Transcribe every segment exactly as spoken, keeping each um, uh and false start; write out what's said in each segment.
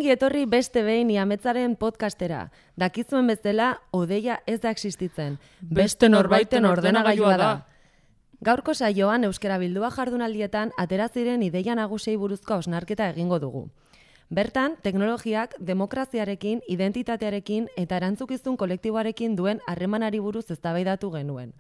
Ongi etorri beste behin Iametzaren podcastera. Dakizuen bezala, odeia ez da existitzen. Beste norbaiten ordenagailua da. Gaurko saioan euskara bildua jardunaldietan atera ziren ideia nagusiei buruzko hausnarketa egingo dugu. Bertan, teknologiak demokraziarekin, identitatearekin eta erantzukizun kolektiboarekin duen harremanari buruz eztabaidatu genuen.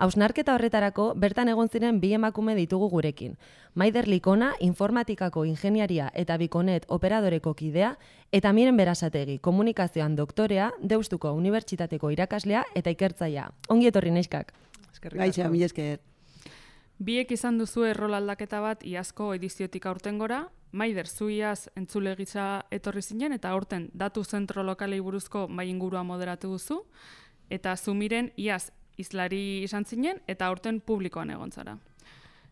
Hausnarketa horretarako bertan egon ziren bi emakume ditugu gurekin. Maider Likona, informatikako ingeniaria eta Bikonet operadoreko kidea, eta Miren Berasategi, komunikazioan doktorea, Deustuko Unibertsitateko irakaslea eta ikertzailea. Ongi etorri neskak. Gaitza, mila esker. Biek izan duzu errol aldaketa bat iazko ediziotik aurtengora, Maider, zu iaz entzule gisa etorri zinen, eta aurten datu zentro lokalei buruzko mai ingurua moderatu duzu, eta zu Miren iaz izlari izan zinen, eta aurten publikoan egon zara.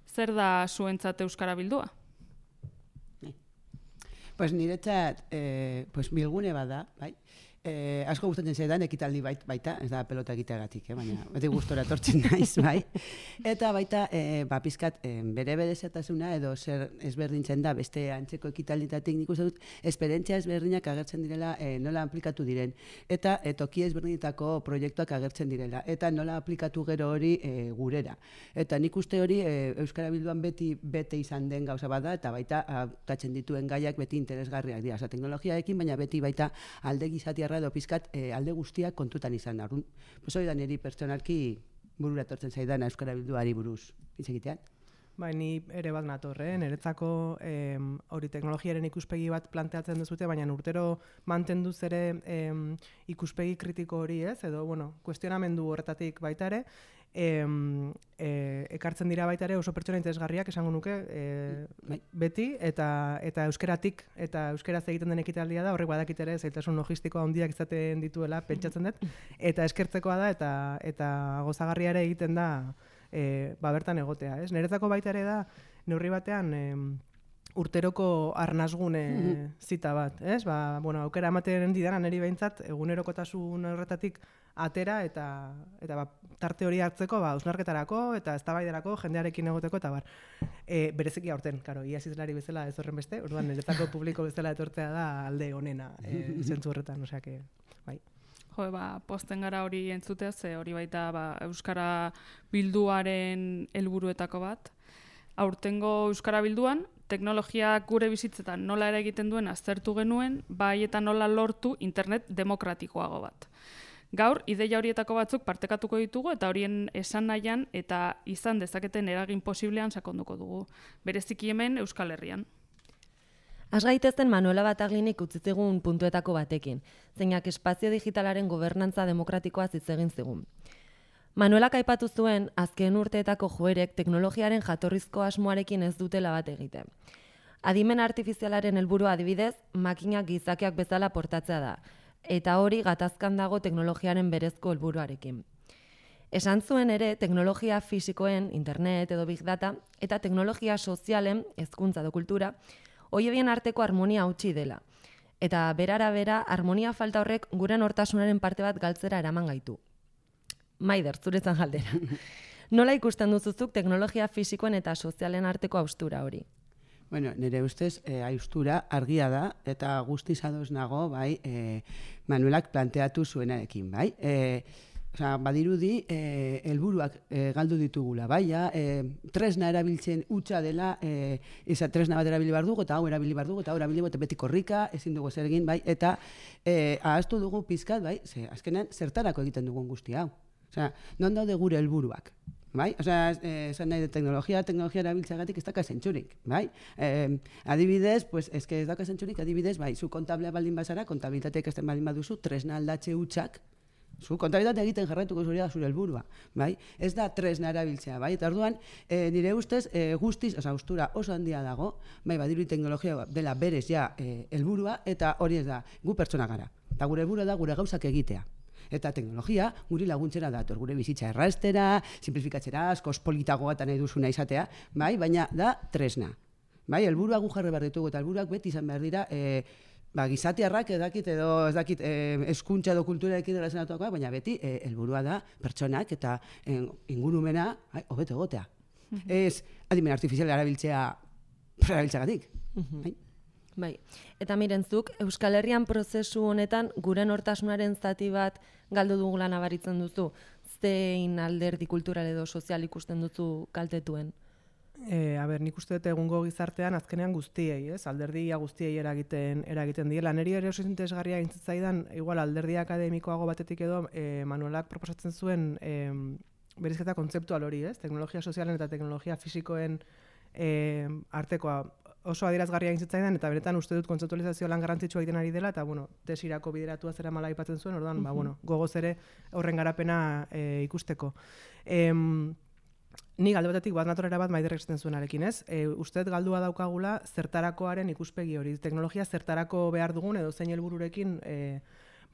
Zer da zuentzat euskara bildua? Pues niretzat, eh, pues bilgune bada, bai? Eh, asko gustatzen zaidan ekitaldi bait, baita, ez da pelota egiteagatik, eh, baina beti gustora etortzen naiz, bai. Eta baita, eh, ba, pizkat, eh, bere berezitasuna edo zer ezberdintzen da beste antzeko ekitalditatik nik uste dut esperientzia ezberdinak agertzen direla, eh, nola aplikatu diren. Eta eh, toki ezberdinetako proiektuak agertzen direla. Eta nola aplikatu gero hori eh, gurera. Eta nik uste hori eh, Euskara Bilduan beti bete izan den gauza bada, eta baita hautatzen dituen gaiak beti interesgarriak dira. Osa, teknologiaekin, baina beti baita alde gizatia edo pizkat e, alde guztiak kontutan izan. Arun, pues hori da niri pertsonalki burura etortzen zaidana Euskara Bilduari buruz. Hitz egitean? Bai, ni ere bat nator, eh? Niretzako em, hori teknologiaren ikuspegi bat planteatzen duzute, baina urtero mantenduz ere em, ikuspegi kritiko hori, ez? Edo, bueno, kuestionamendu horretatik baita ere, em, e, ekartzen dira baita ere oso pertsona interesgarriak esango nuke e, beti, eta eta euskeratik, eta euskeraz egiten den ekitaldia da, horrek badakit ere zailtasun logistikoa handiak izaten dituela pentsatzen dut, eta eskertzekoa da, eta eta gozagarria ere egiten da E, ba bertan egotea, ez? Niretzako baita ere da, neurri batean e, urteroko arnasgune mm-hmm. zita bat, ez? Ba, bueno, aukera ematen didana niri behintzat, egunerokotasun horretatik atera eta eta ba, tarte hori hartzeko, ba, hausnarketarako eta eztabaidarako jendearekin egoteko eta bar. E, bereziki aurten, karo, iaz izlari bezala ez horren beste, orduan niretzako publiko bezala etortzea da alde onena, e, zentzu horretan, osea que, bai. Jo, ba, posten gara hori entzutea, ze hori baita ba, Euskara Bilduaren helburuetako bat. Aurtengo Euskara Bilduan, teknologiak gure bizitzetan nola ere egiten duen aztertu genuen, bai eta nola lortu internet demokratikoago bat. Gaur, ideia horietako batzuk partekatuko ditugu eta horien esan nahian eta izan dezaketen eragin posiblean sakonduko dugu. Bereziki hemen Euskal Herrian. Az gaitezen Manuela Bataglinik utzitzigun puntuetako batekin, zeinak espazio digitalaren gobernantza demokratikoa hitz egin zigun. Manuelak aipatu zuen, azken urteetako joerek teknologiaren jatorrizko asmoarekin ez dutela bat egiten. Adimen artifizialaren helburua adibidez, makinak gizakiak bezala portatzea da, eta hori gatazkan dago teknologiaren berezko helburuarekin. Esan zuen ere, teknologia fisikoen, internet edo big data, eta teknologia sozialen, hezkuntza edo kultura, hoien arteko harmonia hautsi dela. Eta berara bera, harmonia falta horrek gure nortasunaren parte bat galtzera eraman gaitu. Maider, zuretzan galdera. Nola ikusten duzuzuk teknologia fisikoen eta sozialen arteko haustura hori? Bueno, nire ustez, eh, haustura argia da, eta guztiz ados nago, bai, eh, Manuelak planteatu zuenarekin, bai. Eh, Osa, badirudi, eh, helburuak eh, galdu ditugula, bai, ja, eh, tresna erabiltzen utza dela, eh, eza tresna bat erabili behar dugu, eta hau erabili behar dugu, eta hau erabili behar beti korrika, ezin dugu zer egin, bai, eta eh, ahaztu dugu pizkat, bai, ze, azkenean, zertarako egiten dugun guzti hau. Osa, non daude gure helburuak, bai? Osa, esan nahi de teknologia, teknologia erabiltzeagatik ez daka zentzurik, bai? Eh, adibidez, pues, ez que ez daka zentzurik, adibidez, bai, zu kontablea baldin bazara, kontabilitateak ez den baldin baduzu, tresna aldatze utxak, zu kontabilitate egiten jarraituko zure da zure helburua, bai? Ez da tresna erabiltzea, bai? Eta orduan, e, nire ustez, e, guztiz, oza, austura oso handia dago, bai, badiru teknologia dela berez ja helburua, e, eta hori ez da, gu pertsona gara. Eta gure helburua da gure gauzak egitea. Eta teknologia guri laguntzera dator, gure bizitza erraztera, simplifikatzera, askoz politagoa eta nahi duzuna izatea, bai? Baina da tresna. Bai, helburua gu jarri behar ditugu, eta helburuak beti izan behar dira, e, Ba, gizatiarrak edakit edo ez dakit eh, eskuntza edo kulturarekin erlazionatuakoa, baina beti eh, helburua da pertsonak eta eh, ingurumena hobeto egotea. Mm-hmm. Ez adimen artifiziala erabiltzea erabiltzagatik. Mm-hmm. Bai, eta mirentzuk, Euskal Herrian prozesu honetan gure nortasunaren zati bat galdu dugula nabaritzen duzu, zein alderdi kultural edo sozial ikusten duzu kaltetuen? E, a ber, nik uste dut egungo gizartean azkenean guztiei, ez? Alderdia guztiei eragiten eragiten diela. Neri ere oso interesgarria gintzaidan, igual alderdi akademikoago batetik edo e, Manuelak proposatzen zuen e, berizketa kontzeptual hori, ez? Teknologia sozialen eta teknologia fisikoen e, artekoa oso adierazgarria gintzaidan, eta benetan uste dut kontzeptualizazio lan garrantzitsua egiten ari dela, eta bueno, tesirako bideratua zera mala aipatzen zuen, orduan, ba, bueno, gogoz ere horren garapena e, ikusteko. Em, Ni alde batetik bat natorera bat Maiderrek esaten zuenarekin, ez? E, uste dut galdua daukagula zertarakoaren ikuspegi hori. Teknologia zertarako behar dugun edo zein helbururekin e,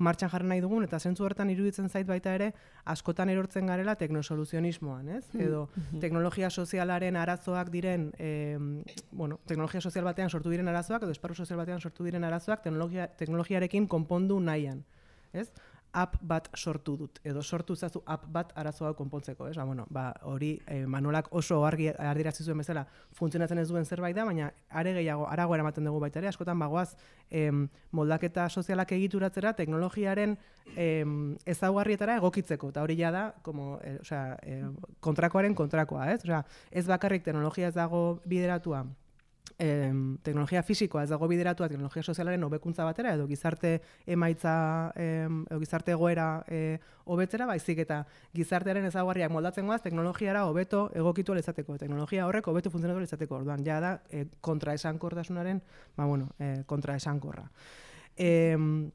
martxan jarri nahi dugun, eta zentzu horretan iruditzen zait baita ere askotan erortzen garela teknosoluzionismoan, ez? Edo teknologia sozialaren arazoak diren, e, bueno, teknologia sozial batean sortu diren arazoak edo esparru sozial batean sortu diren arazoak teknologia, teknologiarekin konpondu nahian, ez? App bat sortu dut, edo sortu zazu app bat arazoa konpontzeko, ez? Ba, bueno, ba, hori eh, Manolak oso argi adierazi zuen bezala funtzionatzen ez duen zerbait da, baina are gehiago, arago eramaten dugu baita ere, askotan bagoaz em, moldaketa sozialak egituratzera teknologiaren em, ezaugarrietara egokitzeko, eta hori ja da, como, eh, osea, eh, kontrakoaren kontrakoa, ez? Osea, ez bakarrik teknologia ez dago bideratua, Em, teknologia fisikoa ez dago bideratua teknologia sozialaren hobekuntza batera edo gizarte emaitza em, edo gizarte egoera e, hobetzera, baizik eta gizartearen ezaugarriak moldatzen goaz teknologiara hobeto egokitu ahal izateko, teknologia horrek hobeto funtzionatu ahal izateko. Orduan ja da e, kontraesankortasunaren, ba bueno, e, kontraesankorra. Em,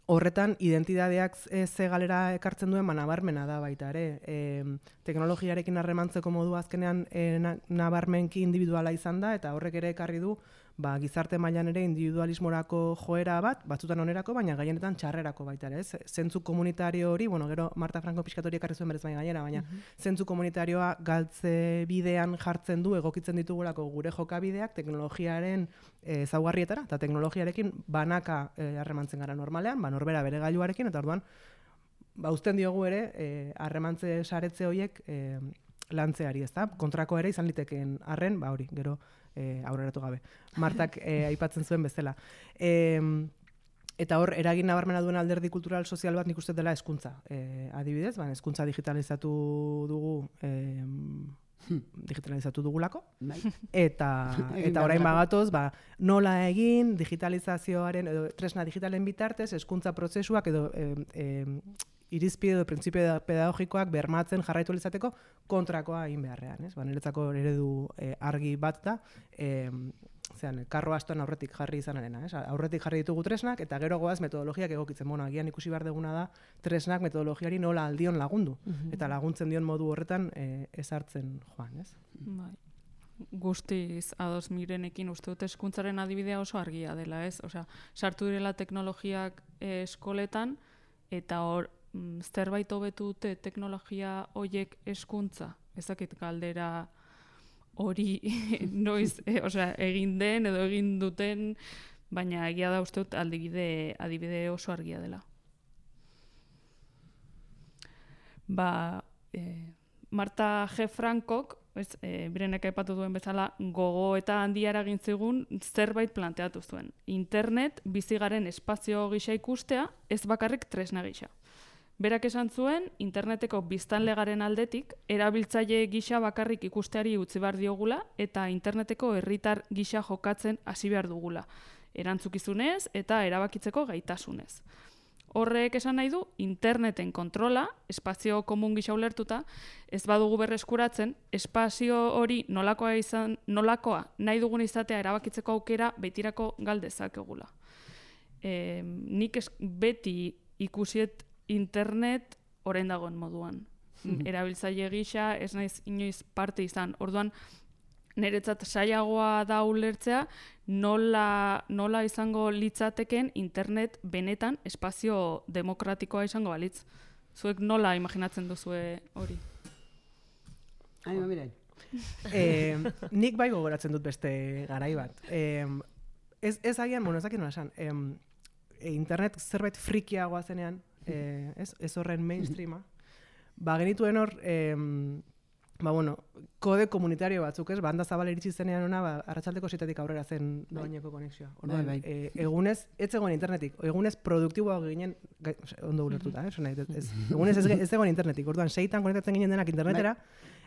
Horretan, identitateak ze galera ekartzen duen, nabarmena da baita ere. E, teknologiarekin harremantzeko modu azkenean e, na, nabarmenki individuala izan da, eta horrek ere ekarri du ba, gizarte mailan ere individualismorako joera bat, batzutan onerako, baina gehienetan txarrerako baita ere. Ez? Zentzu komunitario hori, bueno, gero Marta Franco pixkatori ekarri zuen berez baina gainera, baina uh-huh. zentzu komunitarioa galtze bidean jartzen du, egokitzen ditugulako gure jokabideak teknologiaren ezaugarrietara, eta teknologiarekin banaka harremantzen gara normalean, ba, norbera bere gailuarekin, eta orduan, ba, uzten diogu ere, harremantze saretze horiek e, lantzeari, ez da? Kontrako ere izan litekeen arren, ba hori, gero e, aurreratu gabe. Martak e, aipatzen zuen bezala. E, eta hor, eragin nabarmena duen alderdi kultural sozial bat nik uste dela hezkuntza. E, adibidez, ba, hezkuntza digitalizatu dugu e, digitalizatu dugulako, eta, eta orain bagatoz, ba, nola egin digitalizazioaren, edo tresna digitalen bitartez, hezkuntza prozesuak edo e, e, irizpide edo printzipio pedagogikoak bermatzen jarraitu izateko kontrakoa egin beharrean, ez? Ba, niretzako eredu e, argi bat da, e, zean, karro astoan aurretik jarri izanarena, ez? Aurretik jarri ditugu tresnak, eta gero goaz metodologiak egokitzen. Bueno, agian ikusi behar duguna da, tresnak metodologiari nola aldion lagundu, uh-huh. eta laguntzen dion modu horretan e, ezartzen joan, ez? Bai. Guztiz ados Mirenekin uste dut hezkuntzaren adibidea oso argia dela, ez? Osea, sartu direla teknologiak e, eskoletan, eta hor, mm, zerbait hobetu dute teknologia hoiek hezkuntza, ezakit galdera hori noiz, e, osea, egin den edo egin duten, baina egia da uste dut adibide, adibide oso argia dela. Ba, e, Marta G. Frankok, ez, e, Birenek aipatu duen bezala, gogo eta handia eragin zigun zerbait planteatu zuen. Internet bizigaren espazio gisa ikustea, ez bakarrik tresna gisa. Berak esan zuen, interneteko biztanlegaren aldetik, erabiltzaile gisa bakarrik ikusteari utzi behar diogula eta interneteko herritar gisa jokatzen hasi behar dugula. Erantzukizunez eta erabakitzeko gaitasunez. Horrek esan nahi du, interneten kontrola, espazio komun gisa ulertuta, ez badugu berreskuratzen, espazio hori nolakoa izan, nolakoa nahi dugun izatea erabakitzeko aukera betirako galdezakegula. E, nik es, beti ikusiet internet orain dagoen moduan. Erabiltzaile gisa ez naiz inoiz parte izan. Orduan, niretzat saiagoa da ulertzea nola, nola izango litzateken internet benetan espazio demokratikoa izango balitz. Zuek nola imaginatzen duzue hori? Ai, ba, mirai. eh, nik bai gogoratzen dut beste garai bat. Eh, ez, ez agian, bueno, ez dakit nola esan, eh, internet zerbait frikiagoa zenean, eh, ez, ez horren mainstreama, ba genituen hor, eh, ba, bueno, kode komunitario batzuk, ez? Banda zabal iritsi zenean ona, ba, arratsaldeko seitatik aurrera zen doaineko konexioa. Orduan, bai, bai. e, egunez, ez zegoen internetik, egunez produktiboa ginen, gai, ondo ulertuta, eh? Nahi, ez, egunez ez, ez zegoen internetik, orduan, seitan konektatzen ginen denak internetera,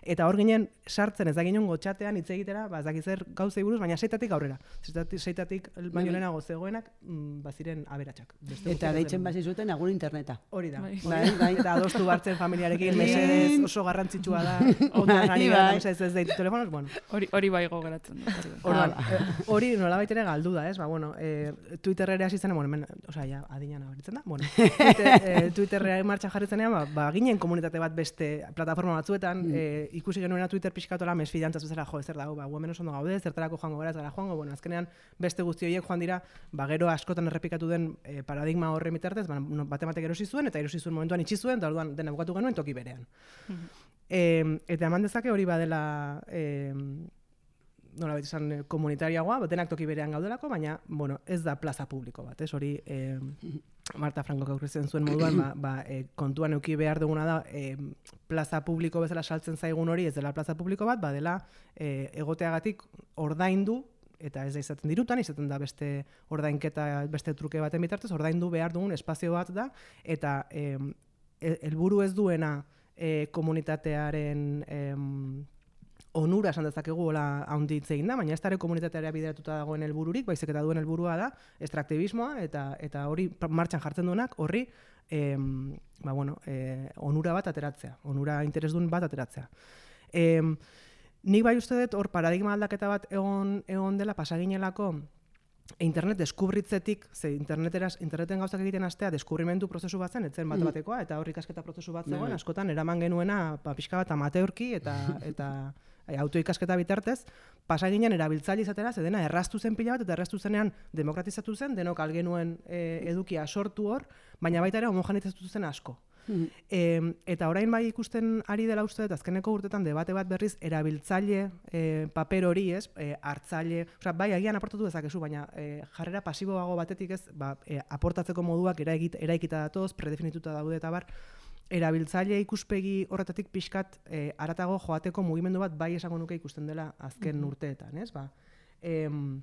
eta hor ginen sartzen ez da ginen gotxatean hitz egitera, ba, ez dakit zer gauzei buruz, baina seitatik aurrera. Seitatik, seitatik baino lehenago zegoenak, mm, baziren aberatsak. Eta deitzen basi zuten agur interneta. Hori da. Bai. Bai, bai. Eta adostu bartzen familiarekin, mesedez oso garrantzitsua da, ondan ari Bai, gara, bai. mesedez ez deitu telefonoz, bueno. Hori hori bai gogeratzen dut. hori bai. Orduan, eh, hori nolabait ere galdu da, ez? Ba, bueno, eh, Twitterrera hasi zen, bueno, hemen, osea, ja, adinan abaritzen da. Bueno, Twitter, eh, Twitterrera martxan jarri zenean, ba, ba, ginen komunitate bat beste plataforma batzuetan, eh, ikusi genuena Twitter pixkatola mesfidantzaz bezala, jo, zer dago, ba, gu hemen oso ondo gaude, zertarako joango gara, ez gara joango, bueno, azkenean beste guzti horiek joan dira, ba, gero askotan errepikatu den eh, paradigma horren bitartez, ba, no, bate batek erosi zuen, eta erosi zuen momentuan itxi zuen, eta orduan dena bukatu genuen toki berean. Eh, eta eman dezake hori badela eh, nola bait esan eh, komunitariagoa, denak toki berean gaudelako, baina bueno, ez da plaza publiko bat, ez hori eh, Marta Frankok aurkezten zuen moduan, ba, ba, eh, kontuan eduki behar duguna da eh, plaza publiko bezala saltzen zaigun hori, ez dela plaza publiko bat, badela eh, egoteagatik ordaindu, eta ez da izaten dirutan, izaten da beste ordainketa, beste truke baten bitartez, ordaindu behar dugun espazio bat da, eta eh, helburu ez duena eh, komunitatearen eh, onura esan dezakegu hola handi hitz egin da, baina ez da ere komunitateara bideratuta dagoen helbururik, baizik eta duen helburua da extraktibismoa eta eta hori martxan jartzen duenak horri eh, ba, bueno, eh, onura bat ateratzea, onura interesdun bat ateratzea. Eh, nik bai uste dut hor paradigma aldaketa bat egon egon dela pasaginelako internet deskubritzetik, ze interneteraz, interneten gauzak egiten hastea deskubrimentu prozesu bat zen, etzen bat batekoa, eta hor ikasketa prozesu bat zegoen, askotan eraman genuena pa, pixka bat amateurki eta eta autoikasketa bitartez, pasa ginen erabiltzaile izatera, ze dena erraztu zen pila bat, eta erraztu zenean demokratizatu zen, denok algenuen e, edukia sortu hor, baina baita ere homogenizatu zen asko. Mm. E, eta orain bai ikusten ari dela uste dut, azkeneko urtetan debate bat berriz erabiltzaile e, paper hori, ez, e, hartzaile, osea, bai agian aportatu dezakezu, baina e, jarrera pasiboago batetik ez, ba, e, aportatzeko moduak eraikita, eraikita datoz, predefinituta daude eta bar, erabiltzaile ikuspegi horretatik pixkat e, aratago joateko mugimendu bat bai esango nuke ikusten dela azken mm-hmm. urteetan, ez? Ba, em,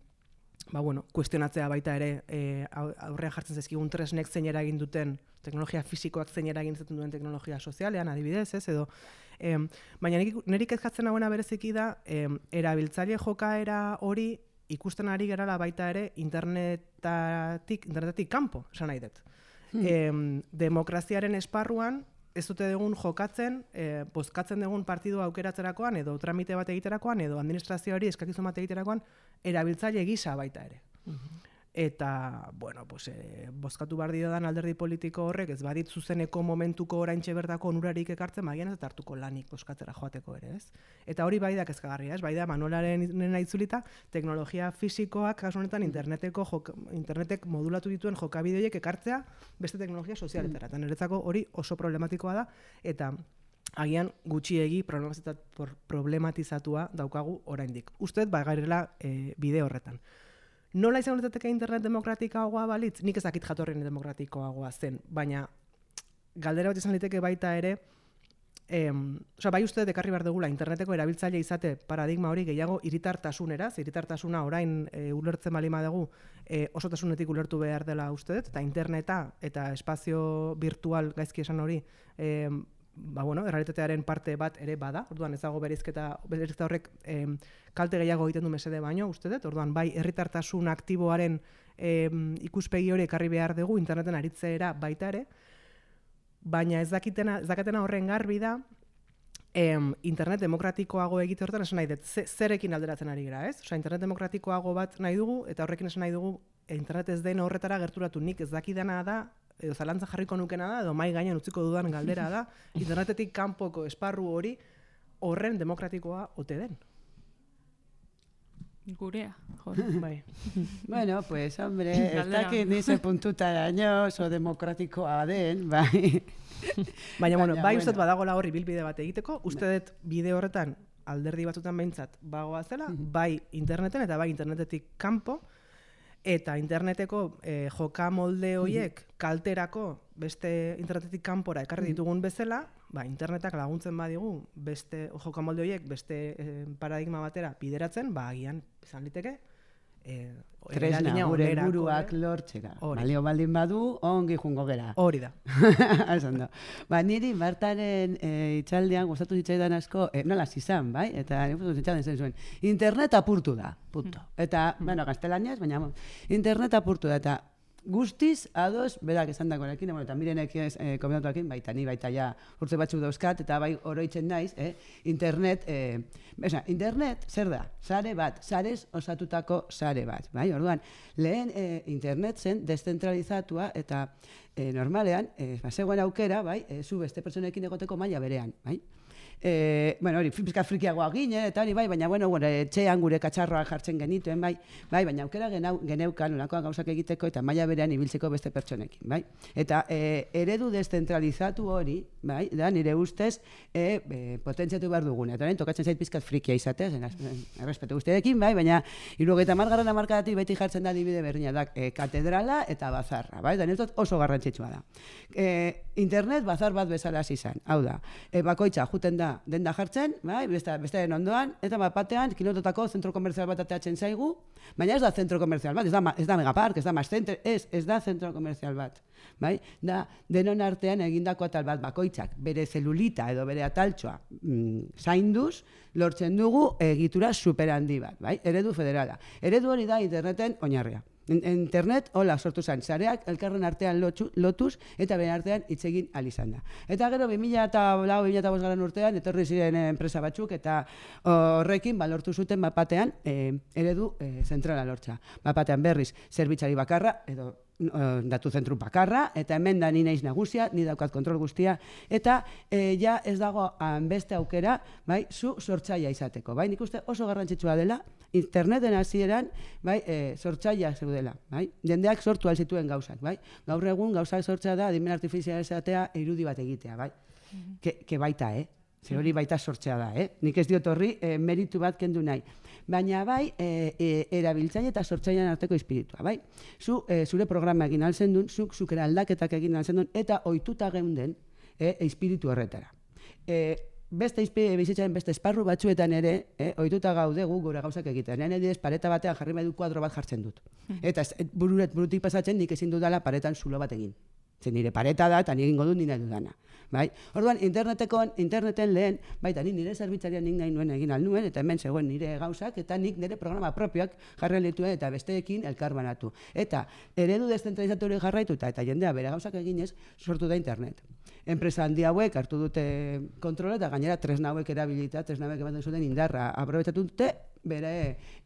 ba, bueno, kuestionatzea baita ere e, aurrean jartzen zaizkigun tresnek zein eragin duten, teknologia fisikoak zein eragin izaten duen teknologia sozialean, adibidez, ez? Edo, em, baina niri kezkatzen hauena bereziki da, em, erabiltzaile jokaera hori ikusten ari gerala baita ere internetatik, internetatik kanpo, esan nahi dut. Hmm. Em, demokraziaren esparruan, ez dute dugun jokatzen, e, bozkatzen dugun partidua aukeratzerakoan, edo tramite bat egiterakoan, edo administrazioari eskakizun bat egiterakoan, erabiltzaile gisa baita ere. Uh-huh. Eta, bueno, pues, e, bozkatu behar diodan alderdi politiko horrek, ez badit zuzeneko momentuko oraintxe bertako onurarik ekartzen, magian ez hartuko lanik bozkatzera joateko ere, ez? Eta hori bai da kezkagarria, ez? Bai da Manuelaren nena itzulita, teknologia fisikoak, kasu honetan, interneteko jok, internetek modulatu dituen jokabideoiek ekartzea beste teknologia sozialetara. Eta niretzako hori oso problematikoa da, eta agian gutxiegi problematizatua daukagu oraindik. Uste dut, ba, gairela e, bide horretan. Nola izan litzateke internet demokratikoagoa balitz? Nik ezakit jatorren demokratikoagoa zen, baina galdera bat izan liteke baita ere, em, oza, bai uste dekarri behar dugula interneteko erabiltzaile izate paradigma hori gehiago hiritartasunera, hiritartasuna orain e, ulertzen balima dugu e, osotasunetik ulertu behar dela uste dut, eta interneta eta espazio virtual gaizki esan hori, em, ba, bueno, errealitatearen parte bat ere bada, orduan ez dago bereizketa, bereizketa horrek em, kalte gehiago egiten du mesede baino, uste dut, orduan bai herritartasun aktiboaren em, ikuspegi hori ekarri behar dugu interneten aritzeera baita ere, baina ez dakitena, ez dakatena horren garbi da, em, internet demokratikoago egite horretan esan nahi dut, ze, zerekin alderatzen ari gara, ez? Osea, internet demokratikoago bat nahi dugu, eta horrekin esan nahi dugu, internet ez den horretara gerturatu nik ez dakidana da, edo zalantza jarriko nukena da, edo mai gainean utziko dudan galdera da, internetetik kanpoko esparru hori horren demokratikoa ote den. Gurea, jor. Bai. Bueno, pues, hombre, ez dakit nize puntutaraino oso demokratikoa den, bai. Baina, bueno, bai uste badagola horri bilbide bat egiteko, uste dut bide horretan alderdi batzutan behintzat bagoa zela, bai interneten eta bai internetetik kanpo, eta interneteko eh, joka molde horiek kalterako beste internetetik kanpora ekarri ditugun bezala, ba, internetak laguntzen badigu beste jokamolde horiek beste eh, paradigma batera bideratzen, ba agian izan liteke eh, tresna gure buruak lortzera. Balio baldin badu, ongi jungo gera. Hori da. Esan da. Ba, niri Martaren e, itxaldean gustatu zitzaidan asko, e, nola izan, bai? Eta itxaldean zen zuen, internet apurtu da, punto. Eta, mm. bueno, gaztelaniaz, baina internet apurtu da, eta guztiz, ados, berak esan dagoenekin, bueno, eta mirenek ez eh, komentatuakin, baita ni baita ja urte batzuk dauzkat, eta bai oroitzen naiz, eh, internet, eh, esa, internet, zer da? Sare bat, sarez osatutako sare bat, bai? Orduan, lehen eh, internet zen deszentralizatua, eta eh, normalean, eh, bazegoen aukera, bai, eh, zu beste pertsonekin egoteko maila berean, bai? Eh, bueno, hori, pizka frikiagoa ginen, eta hori bai, baina, bueno, bueno, etxean gure katxarroa jartzen genituen, bai, bai, baina aukera genau, geneukan, olakoan gauzak egiteko, eta maila berean ibiltzeko beste pertsonekin, bai. Eta eh, eredu deszentralizatu hori, bai, da, nire ustez, eh, eh, potentziatu behar dugune. Eta orain, tokatzen zait pizkat frikia izatea, zen, errespetu guztiekin, bai, baina, hirurogeita hamargarren hamarkadatik beti jartzen da adibide berdina da, eh, katedrala eta bazarra, bai, da, niretzat oso garrantzitsua da. Eh, internet bazar bat bezala hasi izan, hau da, eh, bakoitza juten da denda jartzen, bai, beste, bestearen ondoan, eta bat batean, kilototako zentro komerzial bat ateatzen zaigu, baina ez da zentro komerzial bat, ez da, ez da megapark, ez da mass center, ez, ez da zentro komerzial bat, bai, da denon artean egindako atal bat bakoitzak, bere zelulita edo bere ataltxoa mm, zainduz, lortzen dugu egitura superhandi bat, bai, eredu federala. Eredu hori da interneten oinarria. Internet, hola, sortu zen, zareak elkarren artean lotu, lotuz eta beren artean hitz egin ahal izan da. Eta gero, bi mila lau bi mila bost garren urtean, etorri ziren enpresa batzuk, eta horrekin balortu zuten bapatean e, eredu e, zentrala lortza. Bapatean berriz, zerbitzari bakarra, edo datu zentru bakarra, eta hemen da ni naiz nagusia, ni daukat kontrol guztia, eta e, ja ez dago beste aukera, bai, zu sortzaia izateko, bai, nik uste oso garrantzitsua dela, interneten hasieran, bai, e, sortzaia zeudela, bai, jendeak sortu alzituen gauzak, bai, gaur egun gauzak sortzea da, adimen artifiziala esatea, irudi bat egitea, bai, mm-hmm. ke, ke baita, eh, zer hori baita sortzea da, eh, nik ez diot horri e, meritu bat kendu nahi, baina bai, e, e, erabiltzaile eta sortzailean arteko espiritua, bai, zu, e, zure programa egin altzen duen, zuk, zukera aldaketak egin altzen duen, eta ohituta geunden, e, espiritu horretara. E, Beste bizitzaren beste esparru batzuetan ere, eh, ohituta gaude gu gure gauzak egiten. Nire adibidez, pareta batean jarri behar du kuadro bat jartzen dut. Eta bururet burutik pasatzen nik ezin dudala paretan zulo bat egin. Zer nire pareta da eta nire egingo dut nire dudana. Bai? Orduan, interneteko, interneten lehen, baita ni nire zerbitzarian nik nahi nuen egin al nuen, eta hemen zegoen nire gauzak, eta nik nire programa propioak jarri dituen eta besteekin elkarbanatu. Eta eredu deszentralizatu hori jarraituta eta jendea bere gauzak eginez, sortu da internet. Enpresa handi hauek hartu dute kontrola eta gainera tresna hauek erabilita, tresna hauek ematen zuten indarra aprobetxatu dute bere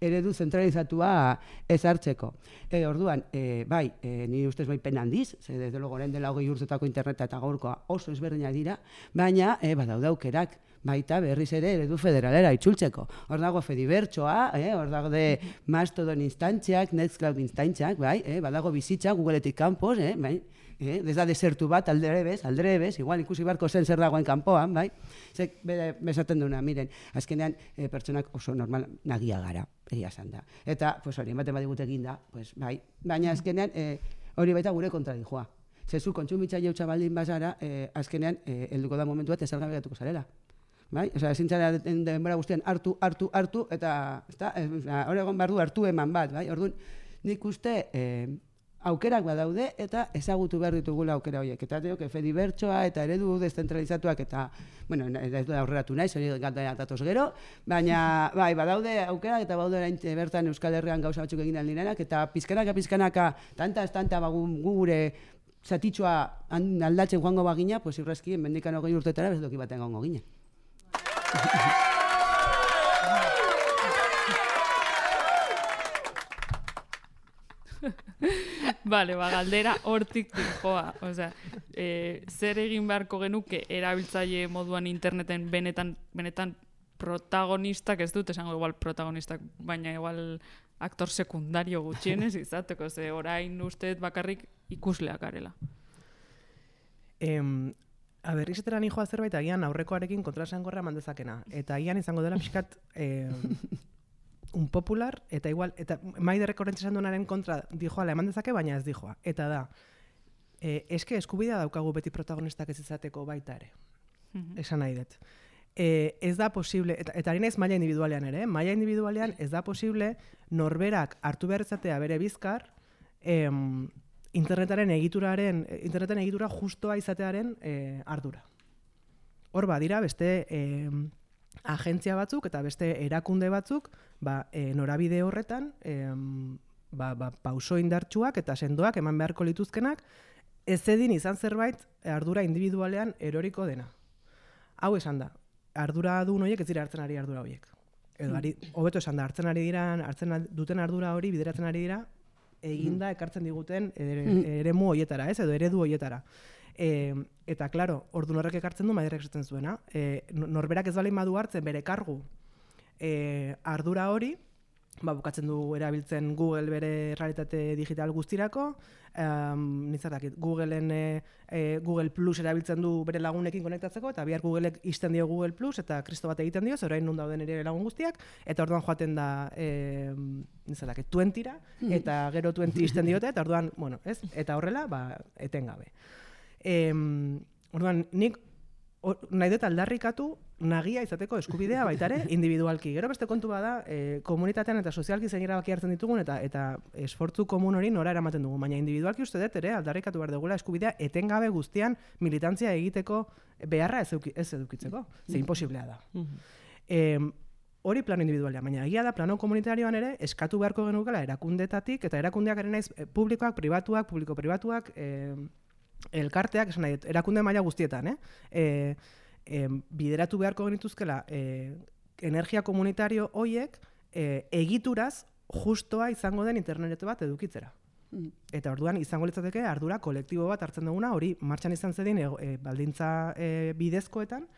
eredu zentralizatua ezartzeko. E, orduan, e, bai, e, ni ustez bai pen handiz, ze desde logo orain dela hogei urtetako interneta eta gaurkoa oso ezberdinak dira, baina e, badaude aukerak, baita berriz ere eredu federalera itzultzeko. Hor dago Fedibertsoa, eh, hor dago de Mastodon instantziak, Nextcloud instantziak, bai, eh, badago bizitza Googleetik kanpos, eh, bai, eh, ez da desertu bat aldrebez, aldrebez, igual ikusi beharko zen zer dagoen kanpoan, bai, zek bere besaten duna, miren, azkenean eh, pertsonak oso normal nagia gara, egia esan da. Eta, pues hori, ematen badigut egin da, pues bai, baina azkenean eh, hori baita gure kontradijoa. Zezu kontsumitzaile hutsa baldin bazara, eh, azkenean eh, helduko da momentu bat ezargabe gatuko zarela. Bai? Osea, ezin zara denbora guztian hartu, hartu, hartu, eta hori egon behar du hartu eman bat, bai? Orduan, nik uste eh, aukerak badaude eta ezagutu behar ditugula aukera horiek. Eta teok, Fedibertsoa eta eredu deszentralizatuak eta, bueno, ez du aurreratu naiz, hori gata datoz gero, baina, bai, badaude aukerak eta badaude orain bertan Euskal Herrian gauza batzuk egin aldirenak, eta pizkanaka, pizkanaka, tanta, tanta, bagu gure zatitxoa aldatzen joango bagina, pues irrazki, mendikan hogei urtetara bezedoki baten gongo gine. Vale, ba, galdera hortik joa. Osea, eh, zer egin beharko genuke erabiltzaile moduan interneten benetan, benetan protagonistak, ez dut esango igual protagonistak, baina igual aktor sekundario gutxienez izateko, ze orain usteet bakarrik ikusleak garela. Em, A berriz etera nijoa zerbait, agian aurrekoarekin kontrasan gorra mandezakena. Eta agian izango dela pixkat eh, un popular, eta igual, eta maiderrek horrentz esan duenaren kontra dijoala eman dezake, baina ez dijoa. Eta da, eh, eske eskubidea daukagu beti protagonistak ez izateko baita ere. esan nahi dut. E, ez da posible, eta, eta ari naiz maila individualean ere, maila individualean ez da posible norberak hartu behar izatea bere bizkar, em, internetaren egituraren, interneten egitura justoa izatearen e, ardura. Hor badira beste e, agentzia batzuk eta beste erakunde batzuk ba, e, norabide horretan e, ba, ba, pauso indartsuak eta sendoak eman beharko lituzkenak ez edin izan zerbait ardura individualean eroriko dena. Hau esan da, ardura duen horiek ez dira hartzen ari ardura horiek. Edo, ari, hobeto esan da, hartzen ari dira, hartzen duten ardura hori bideratzen ari dira eginda ekartzen diguten ere, eremu horietara, ez? Edo eredu horietara. E, eta, klaro, ordu horrek ekartzen du Madrilek esaten zuena. E, norberak ez baldin badu hartzen bere kargu e, ardura hori, ba, bukatzen du erabiltzen Google bere realitate digital guztirako, um, nizatakit, Googleen e, e, Google Plus erabiltzen du bere lagunekin konektatzeko, eta bihar Googleek izten dio Google Plus, eta kristo bat egiten dio, orain nun dauden ere lagun guztiak, eta orduan joaten da, e, nizatakit, twentyra, eta gero twenty izten diote, eta orduan, bueno, ez? Eta horrela, ba, etengabe. E, orduan, nik Or, nahi dut aldarrikatu nagia izateko eskubidea baita ere individualki. Gero beste kontu bada, e, komunitatean eta sozialki zein erabaki hartzen ditugun eta eta esfortzu komun hori nora eramaten dugu. Baina individualki uste dut ere aldarrikatu behar dugula eskubidea etengabe guztian militantzia egiteko beharra ez, eduki, ez edukitzeko. Ze imposiblea da. E, hori plano individualia, baina egia da plano komunitarioan ere eskatu beharko genukela erakundetatik eta erakundeak ere naiz publikoak, pribatuak, publiko-pribatuak, e, elkarteak, esan nahi, erakunde maila guztietan, eh? E, e, bideratu beharko genituzkela e, energia komunitario hoiek e, egituraz justoa izango den internet bat edukitzera. Mm. Eta orduan izango litzateke ardura kolektibo bat hartzen duguna, hori martxan izan zedin e, e, baldintza e, bidezkoetan,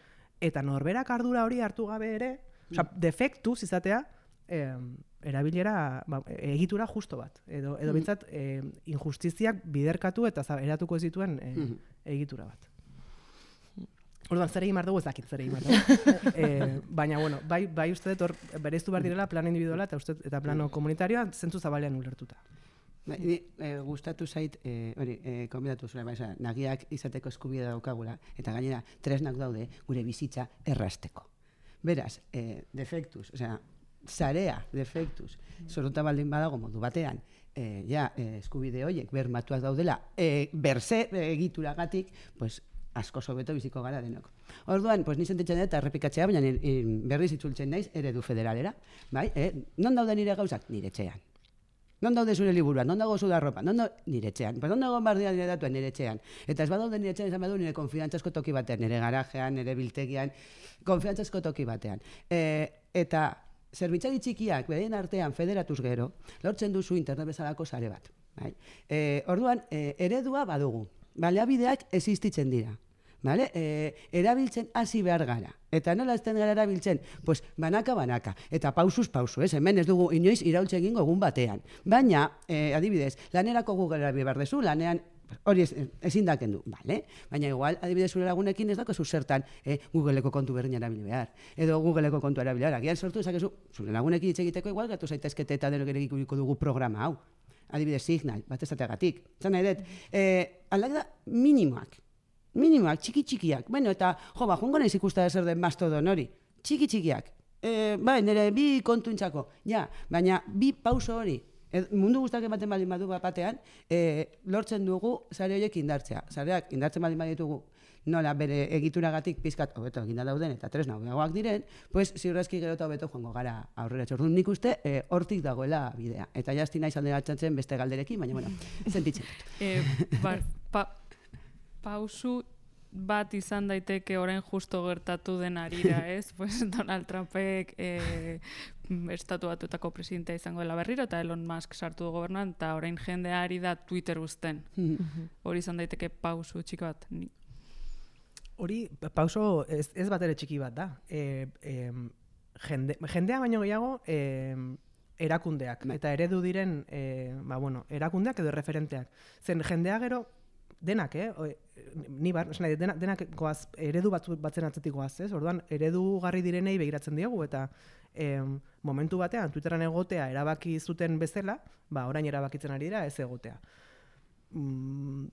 eta norberak ardura hori hartu gabe ere, mm. osea, defektuz izatea, e, erabilera, ba, egitura justo bat. Edo, edo bintzat, e, injustiziak biderkatu eta eratuko ez dituen e, egitura bat. Orduan, zer egin behar dugu ez dakit, zer egin behar dugu. e, baina, bueno, bai, bai uste dut, bereiztu behar direla plano individuala eta, uste, eta plano komunitarioa zentzu zabalean ulertuta. Ba, e, gustatu zait, e, hori, e, konbidatu zure, ba, nagiak izateko eskubidea daukagula, eta gainera, tresnak daude gure bizitza errasteko. Beraz, e, defektuz, osea, zarea, defektuz, zorota baldin badago modu batean, e, ja, e, eskubide horiek bermatuak daudela, e, berze egituragatik, pues, asko sobeto biziko gara denok. Orduan, pues, nizen tetxan eta errepikatzea, baina berriz itzultzen naiz eredu federalera, bai? E, non daude nire gauzak? Nire etxean. Non daude zure liburuan? Non dago zuda ropa? Non dago nire etxean? Pues, non dago bardia nire datuan nire etxean? Eta ez badaude nire etxean, izan badu nire konfidantzazko toki batean, nire garajean, nire biltegian, konfidantzazko toki batean. E, eta zerbitzari txikiak, beraien artean federatuz gero, lortzen duzu internet bezalako sare bat. Bai? E, orduan, e, eredua badugu. Baliabideak existitzen dira. Vale? E, erabiltzen hasi behar gara. Eta nola ezten gara erabiltzen? Pues, banaka, banaka. Eta pausuz pausu, ez? Hemen ez dugu inoiz iraultze egingo egun batean. Baina, e, adibidez, lanerako Google erabil behar dezu, lanean hori ezin daken du, bale? Baina igual, adibidez zure lagunekin ez dako zertan eh, Googleeko kontu berdin erabili behar. Edo Googleeko kontu erabili behar. Agian sortu ezakezu, zure lagunekin hitz egiteko igual gatu zaitezkete eta denok ere ikusiko dugu programa hau. Adibidez Signal, bat ezateagatik. Zan nahi dut, eh, aldaketa minimoak. Minimoak, txiki-txikiak. Bueno, eta, jo, ba, joango naiz ikusta zer den mastodon hori. Txiki-txikiak. Eh, bai, nire bi kontuintzako. Ja, baina bi pauso hori. Ed, mundu guztak ematen baldin badu batean, e, lortzen dugu sare horiek indartzea. Sareak indartzen baldin baditugu nola bere egituragatik pizkat hobeto eginda dauden eta tresna hobeagoak diren, pues ziurrezki gero eta hobeto joango gara aurrera. Orduan nik uste e, hortik dagoela bidea. Eta jazti naiz alderatzen beste galderekin, baina bueno, sentitzen dut. E, ba, pa, pausu bat izan daiteke orain justo gertatu den arira, ez? Pues Donald Trumpek eh, estatu batuetako presidentea izango dela berriro, eta Elon Musk sartu du gobernuan, eta orain jendea ari da Twitter uzten. Hori izan daiteke pausu txiki bat. Hori pauso ez, ez bat ere txiki bat da. E, e, jende, jendea baino gehiago e, erakundeak, eta eredu diren e, ba, bueno, erakundeak edo referenteak. Zen jendea gero denak, eh? O, ni bar, esan denak, denak goaz, eredu batzu, batzen atzetik goaz, ez? Orduan, eredu garri direnei begiratzen diogu, eta em, momentu batean, Twitteran egotea erabaki zuten bezala, ba, orain erabakitzen ari dira ez egotea. Mm,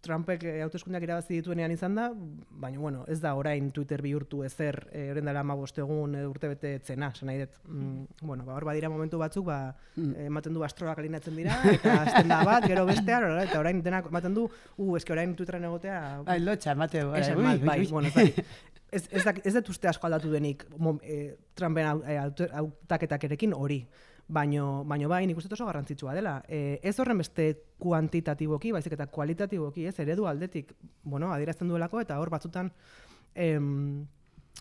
Trumpek e, hauteskundeak irabazi dituenean izan da, baina bueno, ez da orain Twitter bihurtu ezer, e, orain dela hamabost egun e, urtebete etzena, esan nahi dut. Mm, bueno, ba, hor badira momentu batzuk, ba, mm. ematen du astroak alinatzen dira, eta azten da bat, gero bestean, eta orain denak ematen du, uh, eske orain Twitterren egotea... Bai, lotxa, emate, bai, esan bai, bai, bueno, ez da, ez, ez, da, ez dut uste asko aldatu denik mom, e, Trumpen hautaketakerekin hori. Baino, baino bai, nik uste oso garrantzitsua dela. E, ez horren beste kuantitatiboki, baizik eta kualitatiboki, ez, eredu aldetik, bueno, adierazten duelako, eta hor batzutan em,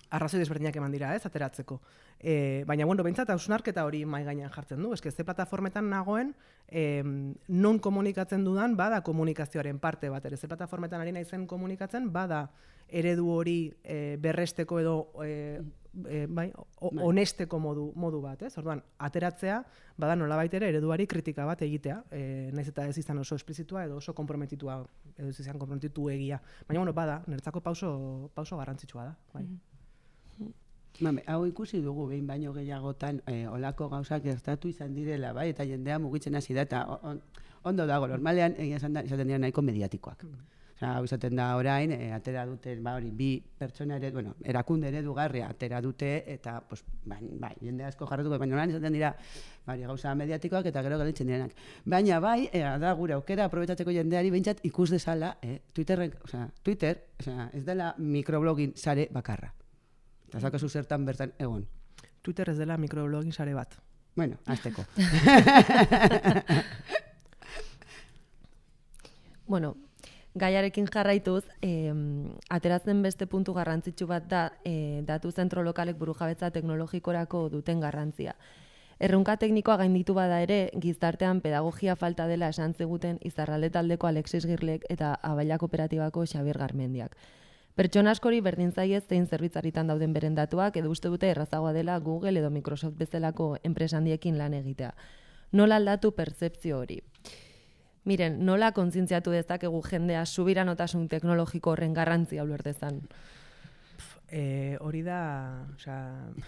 arrazoi desberdinak eman dira, ez, ateratzeko. E, baina, bueno, behintzat, hausnarketa hori mai gainean jartzen du, eske ze plataformetan nagoen, em, non komunikatzen dudan, bada komunikazioaren parte bat, ere, ze plataformetan ari naizen komunikatzen, bada eredu hori e, berresteko edo e, e, bai, o, honesteko modu, modu bat, ez? Orduan, ateratzea, bada nolabait ere ereduari kritika bat egitea, e, naiz eta ez izan oso esplizitua edo oso komprometitua, edo ez izan komprometitu egia. Baina, bueno, bada, niretzako pauso, pauso garrantzitsua da, bai. Mame, hau ikusi dugu behin baino gehiagotan e, olako gauzak gertatu izan direla, bai, eta jendea mugitzen hasi da, eta on, ondo dago, normalean egia esan da, izaten dira nahiko mediatikoak. Osea, hau izaten da orain, e, atera dute, ba hori, bi pertsona ere, bueno, erakunde eredugarria atera dute, eta, pues, bai, bai, jende asko jarratuko, baina orain izaten dira, bari, gauza mediatikoak eta gero galitzen direnak. Baina bai, e, da gure aukera aprobetsatzeko jendeari behintzat ikus dezala, e, Twitterren, osea, Twitter, osea, ez dela microblogin sare bakarra. Eta zakazu zertan bertan egon. Twitter ez dela microblogin sare bat. Bueno, azteko. Bueno, gaiarekin jarraituz, eh, ateratzen beste puntu garrantzitsu bat da eh, datu zentro lokalek burujabetza teknologikorako duten garrantzia. Erronka teknikoa gainditu bada ere, gizartean pedagogia falta dela esan ziguten Izarralde taldeko Alexis Girlek eta Abaila Kooperatibako Xabier Garmendiak. Pertsona askori berdin zaie zein zerbitzaritan dauden beren datuak edo uste dute errazagoa dela Google edo Microsoft bezalako enpresa handiekin lan egitea. Nola aldatu pertzepzio hori? Miren, nola kontzientziatu dezakegu jendea subiranotasun teknologiko horren garrantzia ulertezan? E, hori da, osea,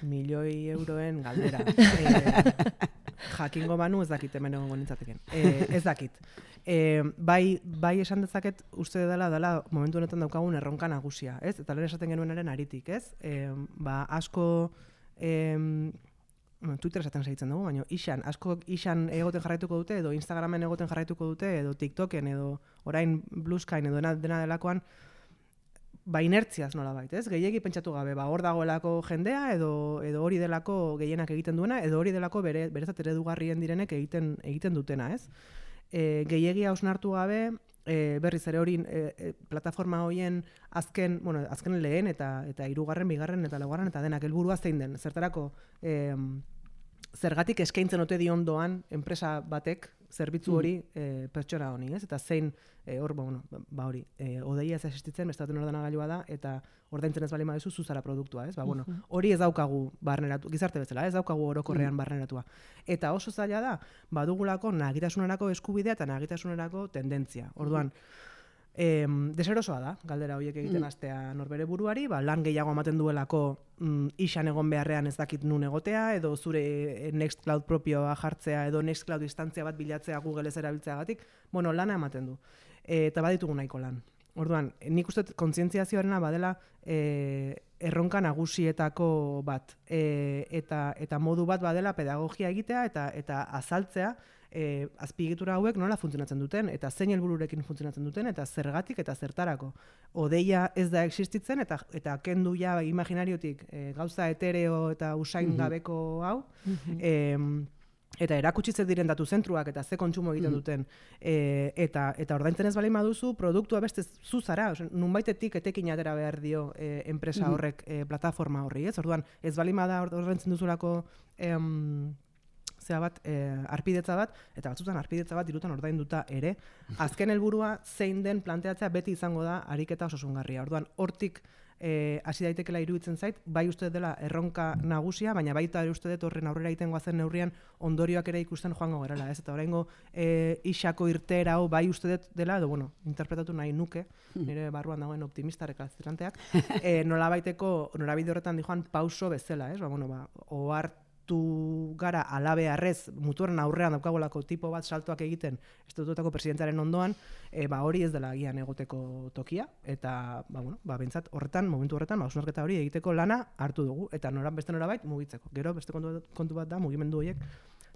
milioi euroen galdera. E, jakingo banu ez dakit hemen egongo nintzateken. E, ez dakit. E, bai, bai esan dezaket uste dela dela momentu honetan daukagun erronka nagusia, ez? Eta lehen esaten genuenaren aritik, ez? E, ba, asko e, Twitter esaten segitzen dugu, baina isan, asko isan egoten jarraituko dute, edo Instagramen egoten jarraituko dute, edo TikToken, edo orain Bluesky'n, edo dena, dena delakoan, ba inertziaz nola bait, ez? Gehiegi pentsatu gabe, ba hor dagoelako jendea, edo, edo hori delako gehienak egiten duena, edo hori delako bere, berezat eredugarrien direnek egiten, egiten dutena, ez? E, gehiegi hausnartu gabe, e, berriz ere hori e, e, plataforma horien azken, bueno, azken lehen eta eta hirugarren, bigarren eta laugarren eta denak helburua zein den. Zertarako e, zergatik eskaintzen ote diondoan enpresa batek zerbitzu hori e, pertsona honi, ez? Eta zein e, hor, bueno, ba hori, e, odeia ez existitzen, bestaten ordenagailua da eta ordaintzen ez bali baduzu zuzara produktua, ez? Ba bueno, hori ez daukagu barneratu, gizarte bezala, ez daukagu orokorrean barneratua. Eta oso zaila da, badugulako nagitasunerako eskubidea eta nagitasunerako tendentzia. Orduan, E, deserosoa da, galdera horiek egiten hastea norbere buruari, ba, lan gehiago ematen duelako mm, isan egon beharrean ez dakit nun egotea, edo zure Nextcloud propioa jartzea, edo Nextcloud instantzia bat bilatzea Google ez erabiltzeagatik, bueno, lana ematen du. E, eta baditugu nahiko lan. Orduan, nik uste kontzientziazioarena badela e, erronka nagusietako bat, e, eta, eta modu bat badela pedagogia egitea eta, eta azaltzea, E, azpiegitura hauek nola funtzionatzen duten, eta zein helbururekin funtzionatzen duten, eta zergatik eta zertarako. Odeia ez da existitzen, eta, eta kendu ja imaginariotik e, gauza etereo eta usain gabeko hau, e, eta erakutsi zer diren datu zentruak eta ze kontsumo egiten duten, e, eta, eta ordaintzen ez baldin baduzu, produktua beste zuzara, nunbaitetik etekin atera behar dio e, enpresa horrek e, plataforma horri, ez? Orduan, ez baldin bada ordaintzen duzulako em, zea bat, e, arpidetza bat, eta batzutan arpidetza bat dirutan ordainduta ere, azken helburua zein den planteatzea beti izango da ariketa osasungarria. Orduan, hortik e, hasi daitekela iruditzen zait, bai uste dela erronka nagusia, baina baita ere uste dut horren aurrera egiten goazen neurrian ondorioak ere ikusten joango gerala, ez? Eta oraingo e, isako irteera hau bai uste dut dela, edo bueno, interpretatu nahi nuke, nire barruan dagoen optimista rekalzitranteak, e, nolabaiteko, norabide horretan dijoan pauso bezala, ez? Ba, bueno, ba, ohar sartu gara alabearrez muturren aurrean daukagolako tipo bat saltoak egiten estatutuetako presidentearen ondoan, e, ba, hori ez dela agian egoteko tokia, eta ba, bueno, ba, bentsat horretan, momentu horretan, ba, hausnarketa hori egiteko lana hartu dugu, eta noran beste norabait mugitzeko. Gero beste kontu, kontu bat da mugimendu horiek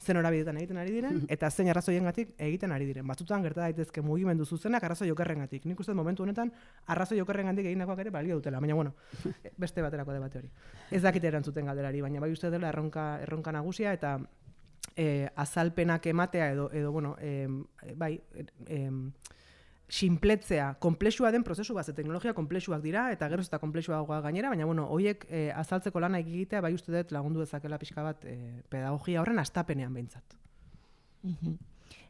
zen norabidetan egiten ari diren, eta zein arrazoiengatik egiten ari diren. Batzutan gerta daitezke mugimendu zuzenak arrazoi okerrengatik. Nik uste momentu honetan arrazoi okerrengatik egindakoak ere balio dutela, baina bueno, beste baterako debate hori. Ez dakite erantzuten galderari, baina bai uste dela erronka, erronka nagusia, eta e, azalpenak ematea edo, edo bueno, e, bai, e, sinpletzea, konplexua den prozesu bat, teknologia konplexuak dira, eta gero ez da konplexuagoa gainera, baina bueno, horiek e, azaltzeko lana egitea, bai uste dut lagundu dezakela pixka bat e, pedagogia horren astapenean behintzat. Mm-hmm.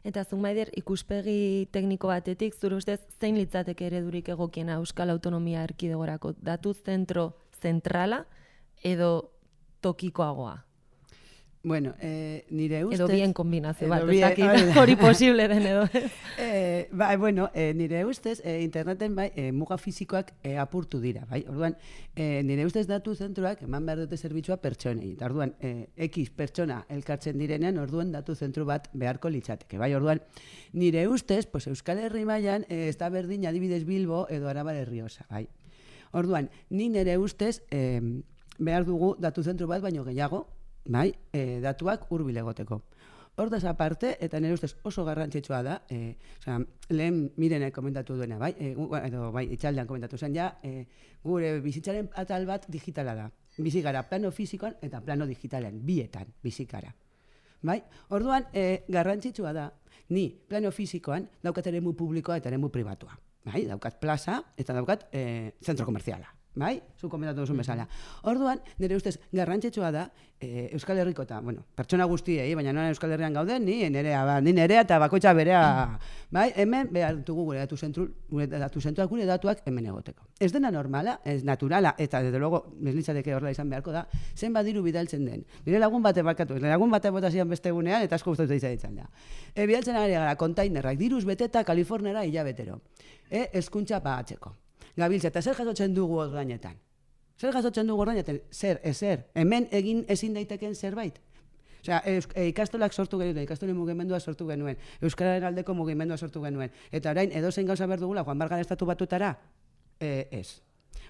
Eta zuk Maider, ikuspegi tekniko batetik, zure ustez zein litzateke eredurik egokiena Euskal Autonomia Erkidegorako, datu zentro zentrala edo tokikoagoa? Bueno, eh, nire ustez... Edo bien kombinazio bat, bien, ez dakit hori posible den edo. eh, bai, bueno, eh, nire ustez, eh, interneten bai, eh, muga fizikoak eh, apurtu dira, bai? Orduan, eh, nire ustez datu zentroak eman behar dute zerbitzua pertsonei. Eta orduan, eh, X pertsona elkartzen direnean, orduan datu zentru bat beharko litzateke, bai? Orduan, nire ustez, pues, Euskal Herri mailan eh, ez da berdin adibidez Bilbo edo Arabar Errioxa, bai? Orduan, ni nire ustez eh, behar dugu datu zentru bat baino gehiago, bai, e, datuak hurbil egoteko. Hortaz aparte, eta nire ustez oso garrantzitsua da, e, osea, lehen Mirenek komentatu duena, bai, e, edo bai, itxaldean komentatu zen, ja, e, gure bizitzaren atal bat digitala da. Bizikara plano fizikoan eta plano digitalean, bietan bizikara. Bai? Orduan, e, garrantzitsua da, ni plano fizikoan daukat eremu publikoa eta eremu pribatua. Bai? Daukat plaza eta daukat e, zentro komerziala. Bai? Zu komentatu duzun bezala. Orduan, nire ustez, garrantzitsua da, e, Euskal Herriko eta, bueno, pertsona guztiei, baina nola Euskal Herrian gauden, ni nerea, ba, ni nerea eta bakoitza berea, bai? Hemen behar dugu gure datu zentru, gure datu zentuak, gure datuak hemen egoteko. Ez dena normala, ez naturala, eta desde luego, meslitzateke horrela izan beharko da, zen badiru bidaltzen den. Nire lagun bate bakatu, nire lagun bate bota zian beste egunean, eta asko gustatu izan da. E, bidaltzen ari gara, kontainerrak, diruz beteta Kaliforniara hilabetero. E, eskuntza pagatzeko. Gabiltza, eta zer jasotzen dugu ordainetan? Zer jasotzen dugu ordainetan? Zer, ezer, hemen egin ezin daiteken zerbait? Osea, e, ikastolak sortu genuen, ikastolen mugimendua sortu genuen, Euskararen aldeko mugimendua sortu genuen, eta orain edozein gauza behar dugula, Juan Bargan estatu batutara? E, ez.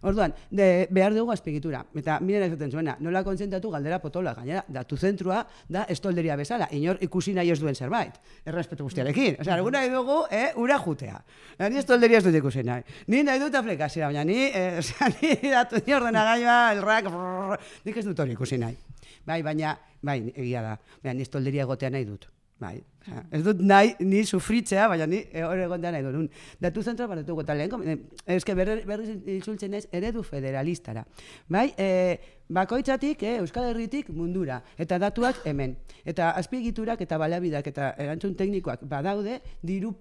Orduan, de, behar dugu azpigitura. Eta miren esaten zuena, nola kontzentratu galdera potola, gainera, datu zentrua da estolderia bezala, inor ikusi nahi ez duen zerbait, errespetu guztiarekin. Osea, alguna nahi dugu, eh, ura jutea. Ni estolderia ez dut ikusi nahi. Ni nahi dut aplikazioa, baina ni, eh, osea, ni datu ni ordenagailua, el rack, brrr, nik ez dut hori ikusi nahi. Bai, baina, bai, egia da, baina ni estolderia egotea nahi dut. Bai, osea, ez dut nahi, ni sufritzea, baina ni hori egotea nahi dut. Datu zentroa bat dut lehen, eske berriz izultzen ez eredu federalistara. Bai, e, bakoitzatik, eh, Euskal Herritik mundura, eta datuak hemen. Eta azpiegiturak eta baliabideak eta erantzun teknikoak badaude, diru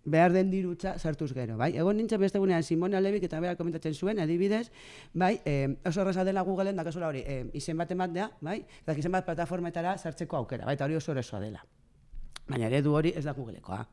behar den dirutza sartuz gero, bai? Egon nintzen beste gunean Simona Lebik eta berak komentatzen zuen, adibidez, bai, e, oso erraza dela Googleen dakasola hori, e, izen bat ematea, bai? Eta izen bat plataformetara sartzeko aukera, bai? Eta hori oso erraza dela. Baina eredu hori ez da Googlekoa.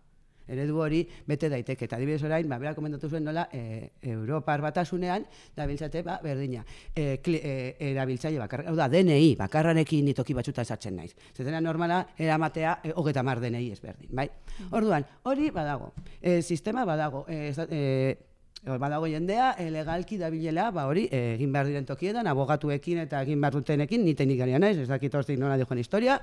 Eredu hori bete daiteke. Eta adibidez orain, ba, berak komentatu zuen nola, e, Europar batasunean, dabiltzate, ba, berdina, e, e, erabiltzaile bakarra, hau da, D N I, bakarrarekin nitoki batzuta esatzen naiz. Zetena normala, eramatea, e, hogeta mar D N I ezberdin, bai? Orduan, hori badago, e, sistema badago, e, e, badago jendea, e, legalki dabilela, ba hori, e, egin behar diren tokietan, abogatuekin eta egin behar dutenekin, ni teknikaria naiz, ez dakit hortik nola dijoen historia,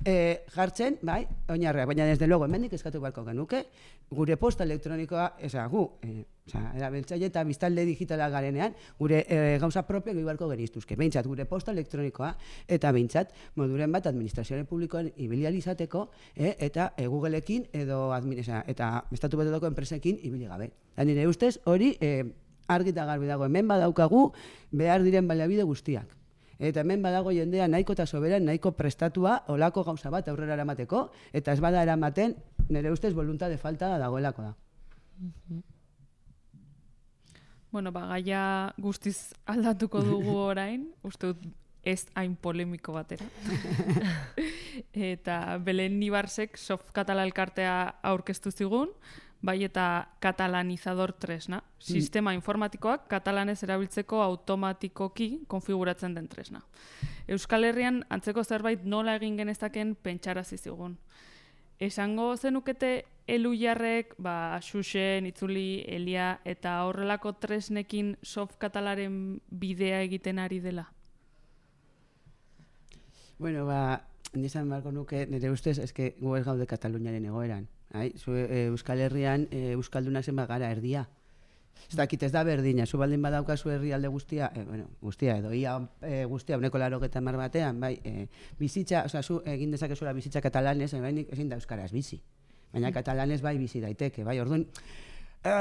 e, jartzen, bai, oinarreak, baina desde luego, hemendik eskatu beharko genuke, gure posta elektronikoa, eza, gu, e, oza, erabiltzaile eta biztalde digitala garenean, gure e, gauza propio gehi beharko geniztuzke, behintzat, gure posta elektronikoa, eta behintzat, moduren bat, administrazioaren publikoan ibilializateko, e, eta e, Googleekin edo, administra, eta estatu betetako enpresekin ibili gabe. Da nire ustez, hori e, argi eta garbi dago, hemen badaukagu behar diren baliabide guztiak. Eta hemen badago jendea nahiko eta soberan, nahiko prestatua, olako gauza bat aurrera eramateko, eta ez bada eramaten, nire ustez, voluntade falta dagoelako da. Bueno, ba, gaia guztiz aldatuko dugu orain, uste dut ez hain polemiko batera. Eta Belen Ibarzek Soft Katala elkartea aurkeztu zigun, bai eta katalanizador tresna. Sistema informatikoak katalanez erabiltzeko automatikoki konfiguratzen den tresna. Euskal Herrian antzeko zerbait nola egin genezaken pentsarazi zigun. Esango zenukete Elujarrek, ba, Xuxen, Itzuli, Elia eta horrelako tresnekin soft katalaren bidea egiten ari dela? Bueno, ba, nizan marko nuke, nire ustez, eske gu ez gaude Kataluniaren egoeran. Hai? Zu, e, Euskal Herrian e, Euskaldunak zenbat gara erdia. Ez dakit ez da berdina, zu baldin badaukazu herrialde guztia, e, bueno, guztia edo ia e, guztia uneko larogeta hamar batean, bai, e, bizitza, oza, zu egin dezakezula bizitza katalanez, e, bai, ezin da euskaraz bizi. Baina katalanez bai bizi daiteke, bai, orduan, e,